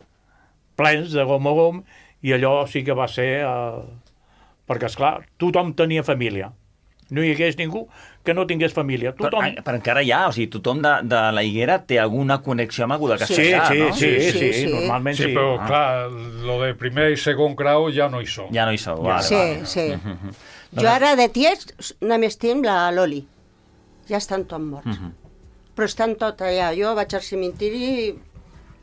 plens de gom a gom, i allò sí que va ser... Eh, perquè, esclar, tothom tenia família. No hi hagués ningú que no tingués família. Tothom... Però, però encara hi ha, o sigui, tothom de, de la Higuera té alguna connexió amb algú de Sí, Castellà, sí, no? sí, sí, Sí, sí, sí. normalment Sí, sí. però, Ah. clar, lo de primer i segon grau ja no hi som. Ja no hi sou, vale, Sí, vale. sí. Jo ara de tiets només tinc la Loli. Ja estan tots morts. Però estan tot allà. Jo vaig al cementiri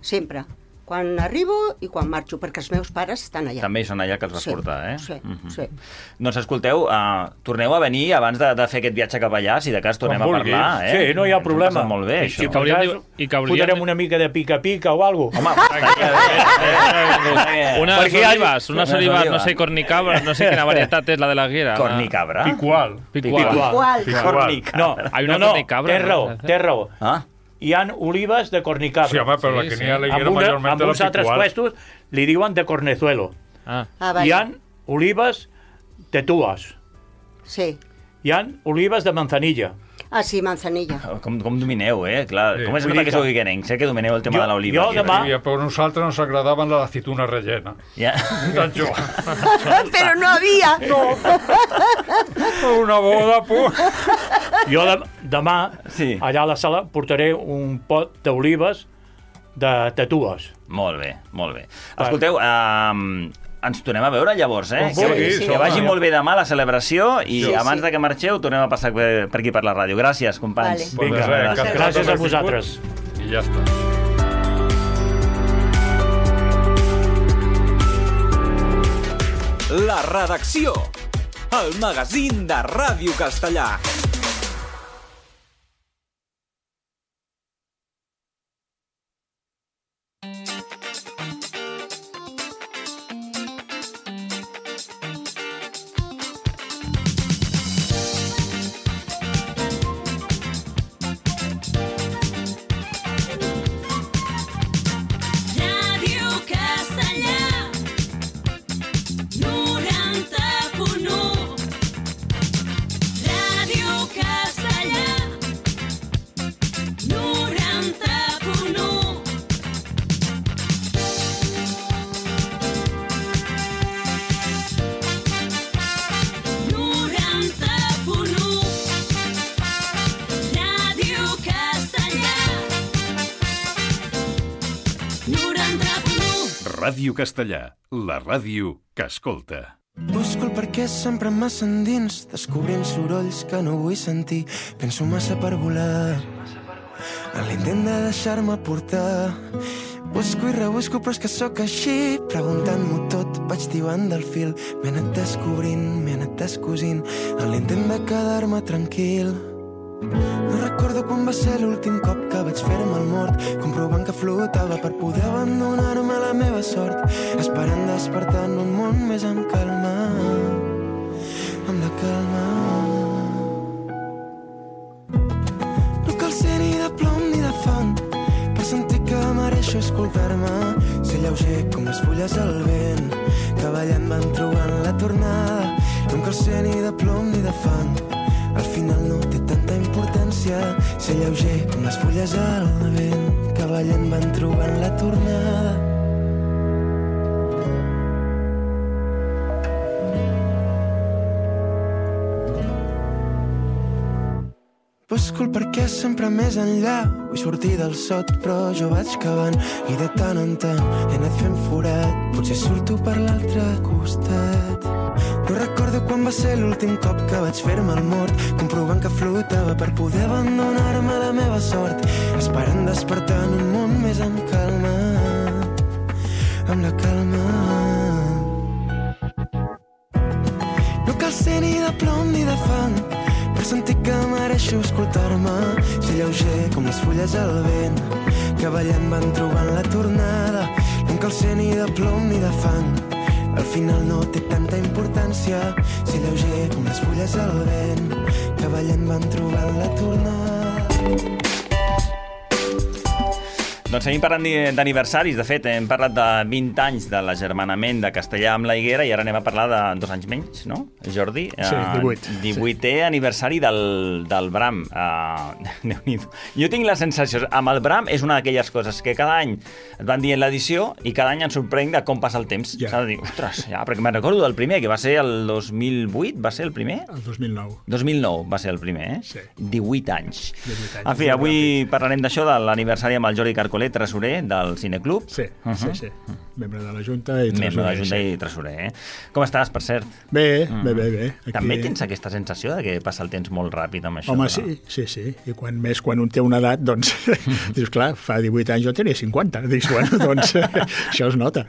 sempre. Quan arribo i quan marxo, perquè els meus pares estan allà. També hi són allà que els vas Sí, portar, eh? sí, Mhm. sí. Doncs escolteu, uh, torneu a venir abans de, de fer aquest viatge cap allà, si de cas tornem Quan a vulguis. parlar, eh? Sí, no hi ha Ens ho hem problema. passat molt bé, I, això. si per hauríem cas, de- i que hauríem fotrem de- una mica de pica-pica o alguna cosa. Unes Perquè hi ha- olivas, unes unes olivas, no olivas. sé, cornicabra, no sé quina varietat és la de la Guera. Cornicabra? Picual. Picual. Igual. Cornicabra. No, Hay una no, no, cornicabra, té raó, ¿no? té raó. Ah, Hi han olives de cornicabra. Sí, home, però la Sí, que sí. n'hi ha a la amb, Higuera una, majorment amb la uns altres picual. puestos li diuen de cornezuelo. Ah. Ah, Hi vale. han olives de tues. Sí. Hi han olives de manzanilla. Ah, sí, manzanilla. com, com domineu, eh? Clar, Sí. com és Vull clar dir que que- sou guiguenencs, eh? Que domineu el tema Jo- de l'oliva. jo aquí, demà- I a per nosaltres ens agradaven la aceituna rellena. Ja. Tant jo. Però no havia. No. Una boda, pues. Jo de, demà, Sí. allà a la sala, portaré un pot d'olives de tatues. Molt bé, molt bé. Escolteu, um, ens tornem a veure llavors, eh? Com vulguis, que, home. que vagi molt bé demà la celebració i Sí, abans sí. de que marxeu tornem a passar per, per aquí per la ràdio. Gràcies, companys. Vale. Vinga, Pues res, gràcies. Gràcies a vosaltres. I ja està. La redacció. El magazín de Ràdio Castellà. Ràdio Castellà, noranta punt u. Ràdio Castellà, noranta punt u. noranta punt u. Ràdio Castellà, noranta punt u. Ràdio Castellà, la ràdio que escolta. Busco el perquè sempre massa endins, descobrint sorolls que no vull sentir. Penso massa per volar, en l'intent de deixar-me portar. Busco i rebusco, però és que sóc així, preguntant-m'ho tot, vaig tibant del fil. M'he anat descobrint, m'he anat descosint, en l'intent de quedar-me tranquil. No recordo quan va ser l'últim cop que vaig fer-me el mort, comprovant que flotava per poder abandonar-me a la meva sort, esperant despertar en un món més amb calma, amb la calma. No cal ser ni de plom ni de fang per sentir que mereixo escoltar-me, ser lleuger com les fulles al vent, que ballant van trobant la tornada. No cal ser ni de plom ni de fang, al final no té tanta importància, ser lleuger com les fulles al vent, que ballant van trobant la tornada. Busco el perquè sempre més enllà, vull sortir del sot, però jo vaig cavant i de tant en tant he anat fent forat, potser surto per l'altre costat. No recordo quan va ser l'últim cop que vaig fer-me el mort, comprovant que flotava per poder abandonar-me a la meva sort, esperant despertar en un món més amb calma, amb la calma. No cal ser ni de plom ni de fang per sentir que mereixo escoltar-me, ser lleuger com les fulles al vent, que ballant van trobant la tornada. No cal ser ni de plom ni de fang, al final no té tanta importància, ser lleuger com les fulles al vent, que ballant van trobant la tornada. Doncs seguim parlant d'aniversaris. De fet, hem parlat de vint anys de l'agermanament de Castellà amb la Higuera i ara anem a parlar de dos anys menys, no, Jordi? Sí, divuit. Uh, divuitè sí. aniversari del, del Bram. Uh, jo tinc la sensació, amb el Bram és una d'aquelles coses que cada any et van dient l'edició i cada any em sorprenc de com passa el temps. Ja. S'ha de dir, ostres, ja, perquè me'n recordo del primer, que va ser el dos mil vuit, va ser el primer? El dos mil nou. dos mil nou va ser el primer, eh? Sí. divuit anys. divuit anys. En fi, avui parlarem d'això, de l'aniversari amb el Jordi Carcolet, tresorer del Cineclub. Sí, uh -huh. sí, sí. Membre de la Junta i tresorer. Membre de la Junta sí. i tresorer, eh? Com estàs, per cert? Bé, mm. bé, bé, bé. Aquí... També tens aquesta sensació de que passa el temps molt ràpid amb això? Home, no? sí, sí, sí. I quan més, quan un té una edat, doncs, dius, clar, fa divuit anys jo tenia cinquanta. Dius, bueno, doncs, això es nota.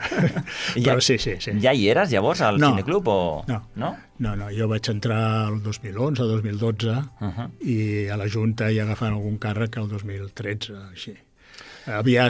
Ja, Però sí, sí, sí. Ja hi eres, llavors, al no, Cineclub, o...? No, no, no, no. Jo vaig entrar el dos mil onze, dos mil dotze, uh -huh. i a la Junta hi agafant algun càrrec el dos mil tretze, així. Havia...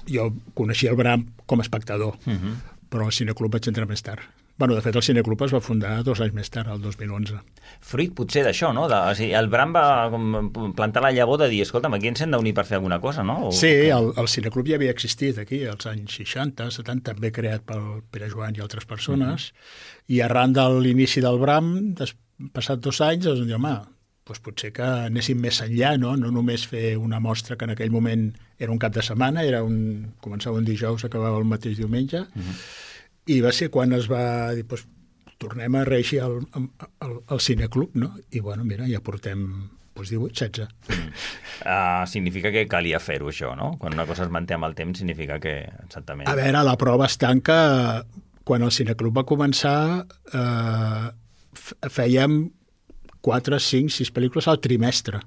Jo coneixia el Bram com a espectador, uh -huh. però al Cineclub vaig entrar més tard. Bueno, de fet, el Cineclub es va fundar dos anys més tard, el dos mil onze. Fruit, potser, d'això, no? De, o sigui, el Bram va com, plantar la llavor de dir, escolta'm, aquí ens hem d'unir per fer alguna cosa, no? O... Sí, el, el Cineclub ja havia existit aquí, als anys seixanta, setanta, també creat pel Pere Joan i altres persones, uh -huh. i arran de l'inici del Bram, des, passat dos anys, doncs, dir, home, doncs potser que anéssim més enllà, no? No només fer una mostra que en aquell moment era un cap de setmana, era un, començava un dijous, acabava el mateix diumenge, uh -huh. i va ser quan es va dir, doncs, tornem a reeixir al, al, al Cineclub, no? I, bueno, mira, ja portem doncs, divuit, setze. Mm. Uh, significa que calia fer-ho, això, no? Quan una cosa es manté amb el temps, significa que, exactament... A veure, la prova està en que quan el Cineclub va començar, eh, fèiem quatre, cinc, sis pel·lícules al trimestre.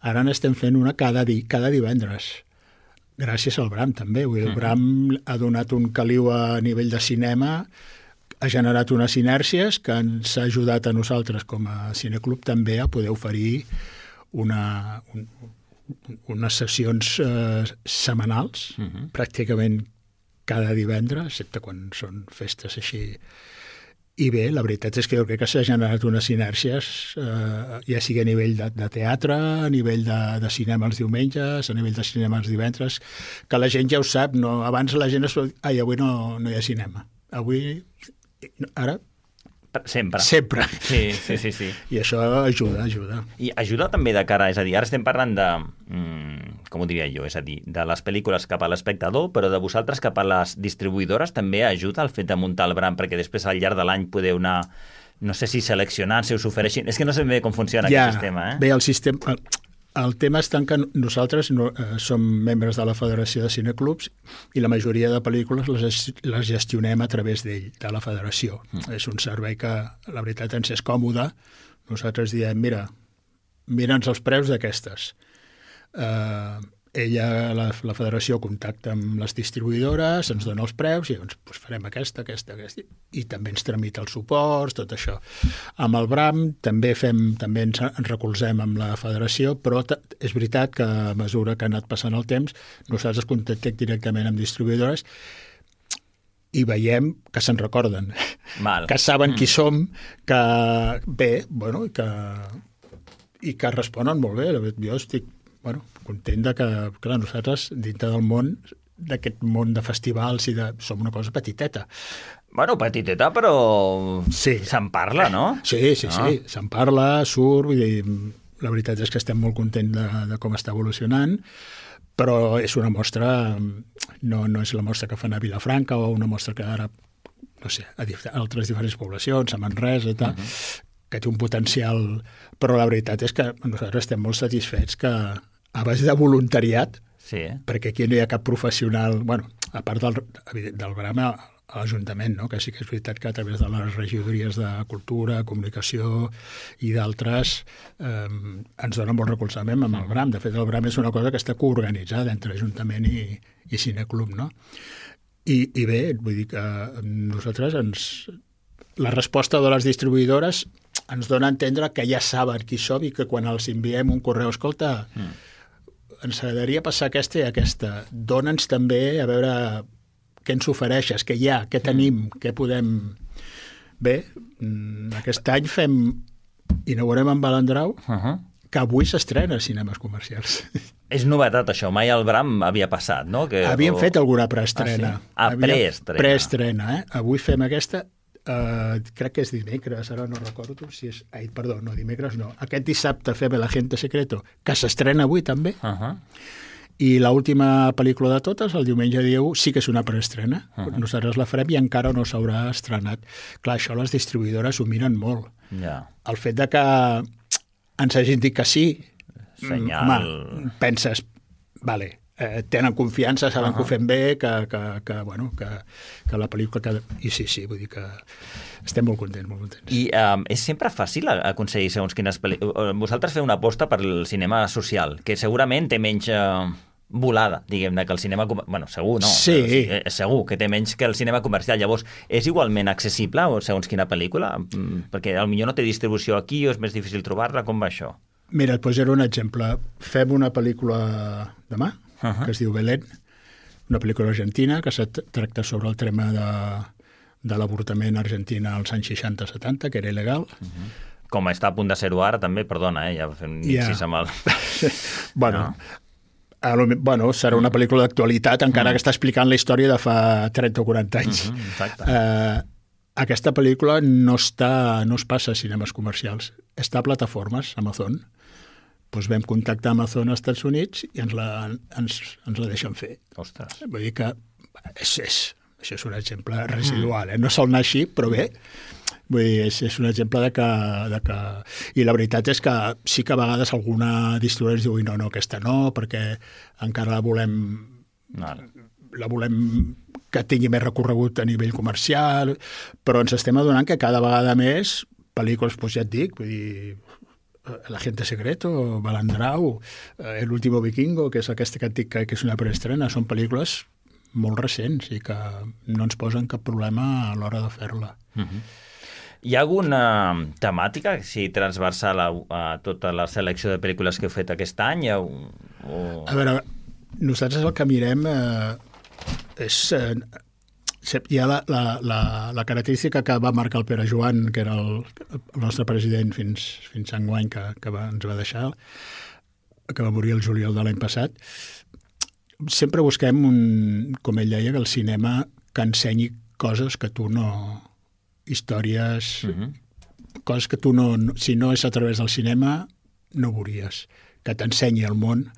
Ara n'estem fent una cada, di cada divendres. Gràcies al Bram, també. Vull dir, el Bram ha donat un caliu a nivell de cinema, ha generat unes inèrcies que ens ha ajudat a nosaltres com a Cineclub també a poder oferir una, un, unes sessions eh, setmanals, uh -huh. pràcticament cada divendres, excepte quan són festes així. I bé, la veritat és que jo crec que s'ha generat unes inèrcies, eh, ja sigui a nivell de, de teatre, a nivell de, de cinema els diumenges, a nivell de cinema els divendres, que la gent ja ho sap, no? Abans la gent es va dir, ai, avui no, no hi ha cinema. Avui, ara... Sempre. Sempre. Sí, sí, sí, sí. I això ajuda, ajuda. I ajuda també de cara, és a dir, ara estem parlant de, mm, com ho diria jo, és a dir, de les pel·lícules cap a l'espectador, però de vosaltres cap a les distribuïdores també ajuda el fet de muntar el Bram, perquè després al llarg de l'any podeu anar, no sé si seleccionant, si us ofereixin... És que no sé bé com funciona ja, aquest sistema, eh? Bé, el sistema... El, el tema està en que nosaltres no, eh, som membres de la Federació de Cineclubs i la majoria de pel·lícules les, les gestionem a través d'ell, de la Federació. Mm. És un servei que, la veritat, ens és còmode. Nosaltres diem, mira, mira'ns els preus d'aquestes. Eh, ella, la, la Federació, contacta amb les distribuïdores, ens dona els preus i doncs, doncs farem aquesta, aquesta, aquesta. I també ens tramita els suports, tot això. Amb el Bram també fem, també ens, ens recolzem amb la Federació, però és veritat que a mesura que ha anat passant el temps, nosaltres contactem directament amb distribuïdores i veiem que se'n recorden, Val. que saben mm. qui som, que bé, bueno, i que, i que responen molt bé. Jo estic bueno, content de que, clar, nosaltres, dintre del món, d'aquest món de festivals i de... som una cosa petiteta. Bueno, petiteta, però sí. se'n parla, no? Sí, sí, sí, sí. Se'n parla, surt, vull dir, la veritat és que estem molt contents de, de com està evolucionant, però és una mostra, no, no és la mostra que fan a Vilafranca o una mostra que ara, no sé, a, a altres diferents poblacions, a Manresa i tal, uh -huh. que té un potencial... Però la veritat és que nosaltres estem molt satisfets que a base de voluntariat, sí. perquè aquí no hi ha cap professional, bueno, a part del, del Bram a l'Ajuntament, no? Que sí que és veritat que a través de les regidories de Cultura, Comunicació i d'altres eh, ens donen molt recolzament amb el Bram. De fet, el Bram és una cosa que està coorganitzada entre Ajuntament i, i Cineclub, no? I, I bé, vull dir que nosaltres ens... La resposta de les distribuïdores ens dona a entendre que ja saben qui som i que quan els enviem un correu, escolta, mm. ens agradaria passar aquesta i aquesta. Dóna'ns també a veure què ens ofereixes, què hi ha, què tenim, mm. què podem... Bé, aquest any fem... inaugurem en Balandrau, uh -huh. que avui s'estrena a cinemes comercials. És novetat, això. Mai el Bram havia passat, no? Que... Havíem o... fet alguna preestrena. Ah, sí? ah preestrena. Preestrena, eh? Avui fem aquesta... Uh, crec que és dimecres, ara no recordo si és... Ai, perdó, no, dimecres no. Aquest dissabte fem El Agente Secreto, que s'estrena avui també. Uh -huh. I l'última pel·lícula de totes, el diumenge dia u, sí que és una preestrena. Uh -huh. Nosaltres la farem i encara no s'haurà estrenat. Clar, això les distribuïdores ho miren molt. Yeah. El fet de que ens hagin dit que sí, Senyal... home, penses, vale, eh, tenen confiança, saben uh -huh. que ho fem bé, que, que, que, bueno, que, que la pel·lícula... Que... I sí, sí, vull dir que estem molt contents, molt contents. I um, és sempre fàcil aconseguir segons quines pel·lícules... Vosaltres feu una aposta per el cinema social, que segurament té menys... Uh... volada, diguem-ne, que el cinema... Bueno, segur, no? Sí. Però, segur que té menys que el cinema comercial. Llavors, és igualment accessible segons quina pel·lícula? Perquè potser no té distribució aquí o és més difícil trobar-la. Com va això? Mira, et posaré un exemple. Fem una pel·lícula demà, uh -huh. que es diu Belén, una pel·lícula argentina que se tracta sobre el tema de, de l'avortament a Argentina als anys seixanta setanta, que era il·legal. Uh -huh. Com està a punt de ser-ho ara, també, perdona, eh? Ja fem nixis ja. amb el... bueno... No? A lo, bueno, serà una pel·lícula d'actualitat, encara mm. que està explicant la història de fa trenta o quaranta anys. Mm-hmm, exacte. Uh, aquesta pel·lícula no, està, no es passa a cinemes comercials, està a plataformes, Amazon. Doncs vam contactar Amazon als Estats Units i ens la, ens, ens la deixen fer. Ostres. Vull dir que és, és, això és un exemple residual, eh? No sol anar així, però bé, vull dir, és, és un exemple de que, de que... I la veritat és que sí que a vegades alguna distribuïdora ens diu no, no, aquesta no, perquè encara la volem... No. La volem que tingui més recorregut a nivell comercial, però ens estem adonant que cada vegada més pel·lícules, doncs ja et dic, vull dir, El agente secreto, Balandrau, El último vikingo, que és aquesta que et dic que és una preestrena, són pel·lícules molt recents i que no ens posen cap problema a l'hora de fer-la. Uh-huh. Hi ha alguna temàtica, si transversal a, a tota la selecció de pel·lícules que heu fet aquest any? O... A veure, nosaltres el que mirem eh, és... Eh, hi ha la, la, la, la característica que va marcar el Pere Joan, que era el, el nostre president fins, fins a enguany, que, que va, ens va deixar, que va morir el juliol de l'any passat. Sempre busquem, un, com ell deia, que el cinema que ensenyi coses que tu no... històries, uh-huh. coses que tu no, no... Si no és a través del cinema, no veuries. Que t'ensenyi el món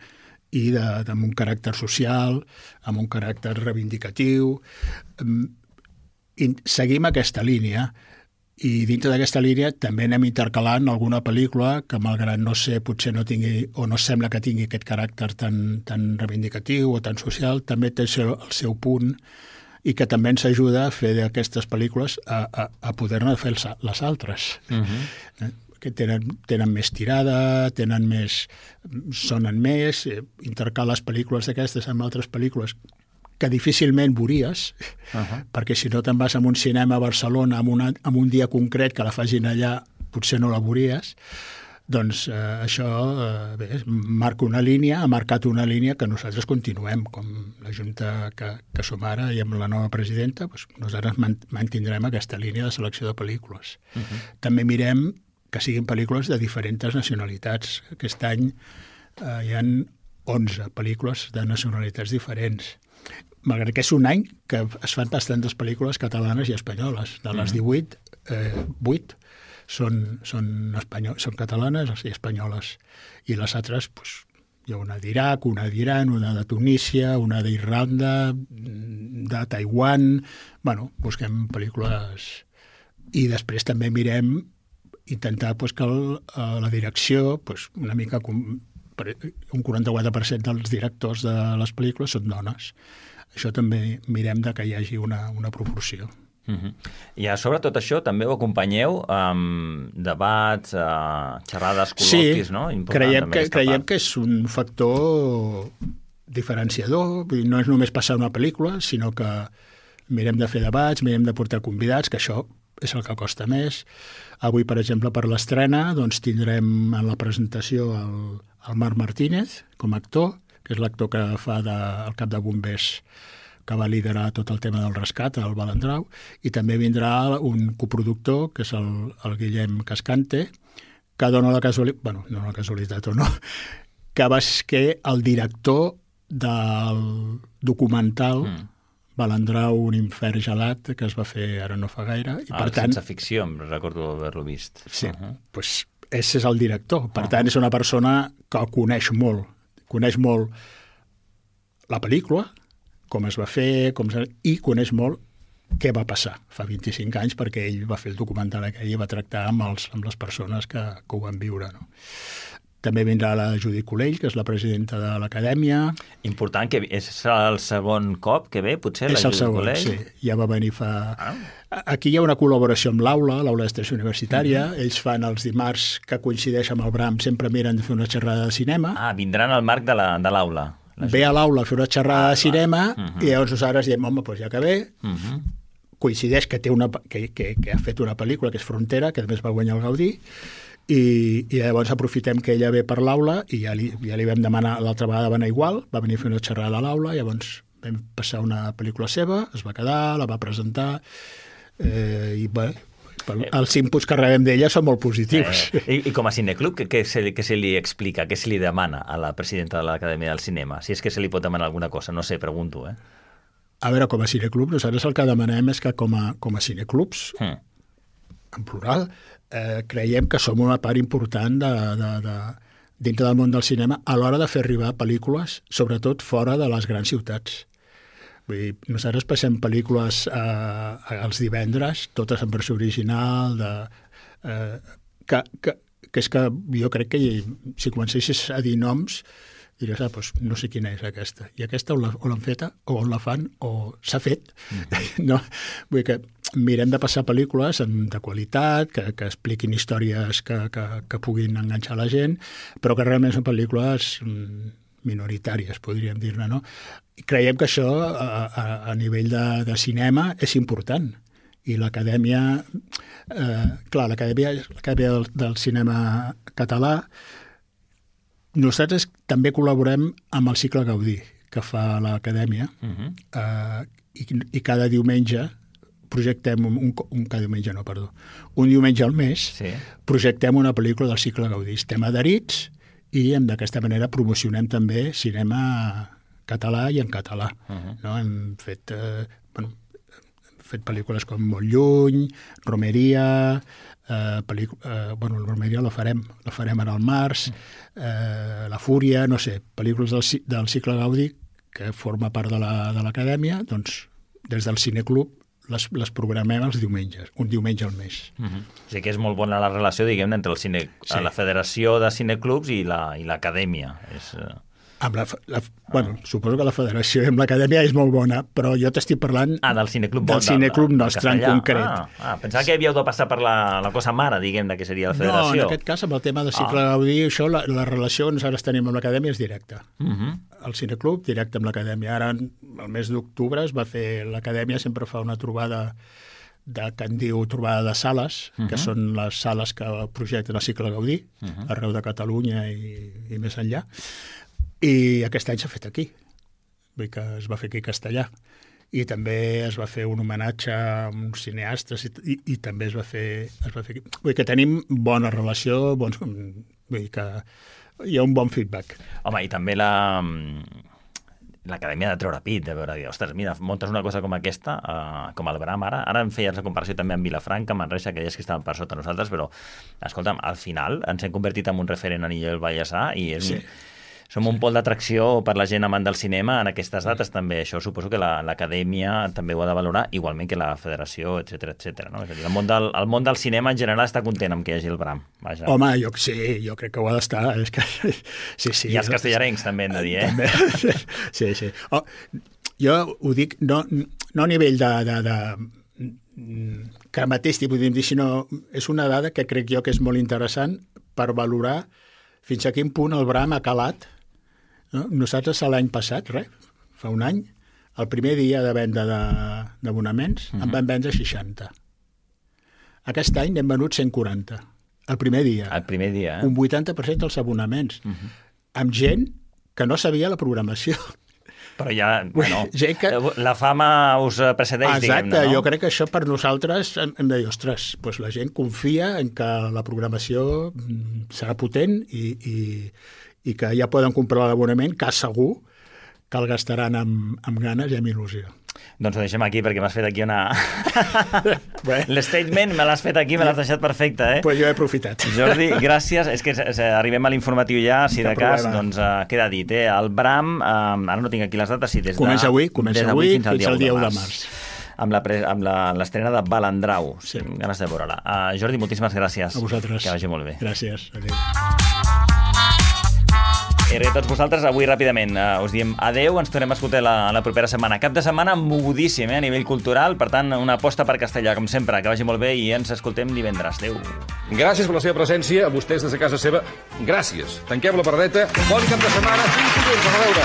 i de, de, amb un caràcter social, amb un caràcter reivindicatiu. I seguim aquesta línia. I dintre d'aquesta línia també anem intercalant alguna pel·lícula que, malgrat no sé, potser no tingui, o no sembla que tingui aquest caràcter tan, tan reivindicatiu o tan social, també té el seu, el seu punt i que també ens ajuda a fer d'aquestes pel·lícules a, a, a poder-ne fer els, les altres. Uh-huh. eh? que tenen, tenen més tirada, tenen més, sonen més, eh, intercales pel·lícules d'aquestes amb altres pel·lícules que difícilment veuries, uh-huh. perquè si no te'n vas a un cinema a Barcelona amb, una, amb un dia concret que la facin allà, potser no la veuries. Doncs eh, això eh, bé, marca una línia, ha marcat una línia que nosaltres continuem, com la Junta que, que som ara i amb la nova presidenta, doncs nosaltres mantindrem aquesta línia de selecció de pel·lícules. Uh-huh. També mirem que siguin pel·lícules de diferents nacionalitats. Aquest any eh, hi ha onze pel·lícules de nacionalitats diferents. Malgrat que és un any que es fan bastantes pel·lícules catalanes i espanyoles. De les divuit, eh, vuit són, són, espanyol, són catalanes i espanyoles. I les altres, doncs, hi ha una d'Iraq, una d'Iran, una de Tunísia, una d'Irlanda, de Taiwan... Bueno, busquem pel·lícules... I després també mirem intentar pues, que el, la direcció, pues, una mica com, un quaranta-quatre per cent dels directors de les pel·lícules són dones. Això també mirem de que hi hagi una, una proporció. Uh-huh. I a sobre tot això també ho acompanyeu amb debats, uh, xerrades, col·loquis, sí, no? Sí, creiem, que, creiem que és un factor diferenciador. Vull dir, no és només passar una pel·lícula, sinó que mirem de fer debats, mirem de portar convidats, que això és el que costa més. Avui, per exemple, per l'estrena, doncs, tindrem en la presentació el, el Marc Martínez com a actor, que és l'actor que fa de, el cap de bombers que va liderar tot el tema del rescat, el Balandrau, i també vindrà un coproductor, que és el, el Guillem Cascante, que dona la casualitat, bueno, no la casualitat o no, que va ser el director del documental mm. Balandrau, un infern gelat, que es va fer ara no fa gaire. I, ah, per tant, sense ficció, em recordo haver-lo vist. Sí, uh-huh. pues, ese és el director. Per uh-huh. tant, és una persona que el coneix molt. Coneix molt la pel·lícula, com es va fer, com es... i coneix molt què va passar fa vint-i-cinc anys, perquè ell va fer el documental aquell i va tractar amb, els, amb les persones que, que ho van viure. No? També vindrà la Judit Colell, que és la presidenta de l'Acadèmia. Important, que és el segon cop que ve, potser, és la Judit segon, Colell? Sí, ja va venir fa... Ah. Aquí hi ha una col·laboració amb l'Aula, l'Aula d'Extensió Universitària. Mm-hmm. Ells fan els dimarts que coincideix amb el Bram, sempre miren de fer una xerrada de cinema. Ah, vindran al marc de l'Aula. Ve a l'aula a fer una xerrada ah, de cinema uh-huh. i llavors nosaltres diem, home, doncs ja que ve, uh-huh. coincideix que, té una, que, que, que ha fet una pel·lícula que és Frontera, que també va guanyar el Gaudí, i, i llavors aprofitem que ella ve per l'aula i ja li, ja li vam demanar, l'altra vegada va anar igual, va venir a fer una xerrada a l'aula, llavors vam passar una pel·lícula seva, es va quedar, la va presentar, eh, i bé, els inputs que rebem d'ella són molt positius. Eh, i, I com a cineclub, què, què, se, què se li explica, què se li demana a la presidenta de l'Acadèmia del Cinema? Si és que se li pot demanar alguna cosa, no sé, pregunto, eh? A veure, com a cineclub, nosaltres el que demanem és que com a, com a cineclubs, mm. en plural, eh, creiem que som una part important de, de, de, dintre del món del cinema a l'hora de fer arribar pel·lícules, sobretot fora de les grans ciutats. Vull dir, nosaltres passem pel·lícules eh, els divendres, totes en versió original, de, eh, que, que, que és que jo crec que si comencessis a dir noms, diràs, ah, doncs no sé quina és aquesta. I aquesta o l'han feta, o on la fan, o s'ha fet. Mm-hmm. No? Vull dir que mirem de passar pel·lícules de qualitat, que, que expliquin històries que, que, que puguin enganxar la gent, però que realment són pel·lícules minoritàries, podríem dir-ne, no? I creiem que això, a, a, a nivell de, de cinema, és important. I l'Acadèmia, eh, clar, l'Acadèmia del, del Cinema Català, nosaltres també col·laborem amb el cicle Gaudí, que fa l'Acadèmia, uh-huh. eh, i, i cada diumenge projectem, un, un, un cada diumenge no, perdó, un diumenge al mes, sí. projectem una pel·lícula del cicle Gaudí. Estem adherits i d'aquesta manera promocionem també cinema català i en català. Uh-huh. No? Hem fet, eh, bueno, hem fet pel·lícules com Molt lluny, Romeria, eh, pel·lícula, eh, bueno, la Romeria la farem, la farem ara al març, eh, La Fúria, no sé, pel·lícules del, del cicle Gaudí que forma part de l'Acadèmia, doncs des del Cineclub les, les programem els diumenges, un diumenge al mes. Uh-huh. O sigui que és molt bona la relació, diguem, entre el cine, sí. la Federació de Cineclubs i l'Acadèmia. La, és... Amb la, la, bueno, ah. suposo que la Federació amb l'Acadèmia és molt bona, però jo t'estic parlant ah, del cineclub, del cineclub nostre en concret. Ah, ah, pensava que havíeu de passar per la, la cosa mare, diguem, de que seria la Federació. No, en aquest cas, amb el tema de cicle ah. Gaudí, això, la, la relació que nosaltres tenim amb l'Acadèmia és directa. Uh-huh. El cineclub, directe amb l'Acadèmia. Ara, el mes d'octubre, es va fer... L'Acadèmia sempre fa una trobada de, que en diu trobada de sales, uh-huh. que són les sales que projecten el cicle Gaudí, uh-huh. arreu de Catalunya i, i més enllà. I aquest any s'ha fet aquí. Vull dir que es va fer aquí a Castellà. I també es va fer un homenatge a uns cineastes i, i, i també es va fer... Es va fer aquí. Vull dir que tenim bona relació, bons, vull dir que hi ha un bon feedback. Home, i també la... l'Acadèmia de treure pit, de veure, ostres, mira, muntes una cosa com aquesta, uh, com el Bram ara, ara em feies la comparació també amb Vilafranca, Manresa, que deies que estaven per sota nosaltres, però, escolta'm, al final ens hem convertit en un referent a nivell Vallèsà i és... Sí. Som un pol d'atracció per la gent amant del cinema en aquestes dates també. Això suposo que l'Acadèmia també ho ha de valorar, igualment que la Federació, etcètera, etcètera. No? És a dir, el món, del, el món del cinema en general està content amb que hi hagi el Bram. Vaja. Home, jo, sí, jo crec que ho ha d'estar. És que, sí, sí, I els castellarencs també hem de dir, eh? També. Sí, sí. Oh, jo ho dic no, no a nivell de... de, de que mateix tipus dir, sinó és una dada que crec jo que és molt interessant per valorar fins a quin punt el Bram ha calat. No? Nosaltres l'any passat, res, fa un any, el primer dia de venda d'abonaments uh-huh. en van vendre seixanta. Aquest any n'hem venut cent quaranta. El primer dia. El primer dia, eh? Un vuitanta per cent dels abonaments. Uh-huh. Amb gent que no sabia la programació. Però ja, bueno, que... la fama us precedeix, diguem-ne, no? Exacte, jo crec que això per nosaltres hem de dir, ostres, doncs la gent confia en que la programació serà potent i... i i que ja poden comprar l'abonament, que segur que el gastaran amb, amb ganes i amb il·lusió. Doncs ho deixem aquí, perquè m'has fet aquí una... L'statement me l'has fet aquí, me l'has deixat perfecte, eh? Pues jo he aprofitat. Jordi, gràcies. És que arribem a l'informatiu ja, si de cas, doncs uh, queda dit, eh? El Bram, uh, ara no tinc aquí les dates, sí, des de... Comença avui, comença avui fins al dia, dia u de març. Amb l'estrena de Balandrau. Sí. Ganes de veure-la. Uh, Jordi, moltíssimes gràcies. A vosaltres. Que vagi molt bé. Gràcies. Adéu. I a tots vosaltres, avui ràpidament uh, us diem adeu, ens tornem a escoltar la, la propera setmana. Cap de setmana mogudíssim, eh, a nivell cultural, per tant, una aposta per Castellà, com sempre, que vagi molt bé i ens escoltem divendres. Adéu. Gràcies per la seva presència, a vostès des de casa seva. Gràcies. Tanquem la pardeta. Bon cap de setmana. Fins dilluns. A veure.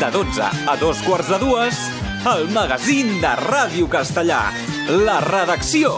De dotze a dos quarts de dues, el magazín de Ràdio Castellà. La redacció.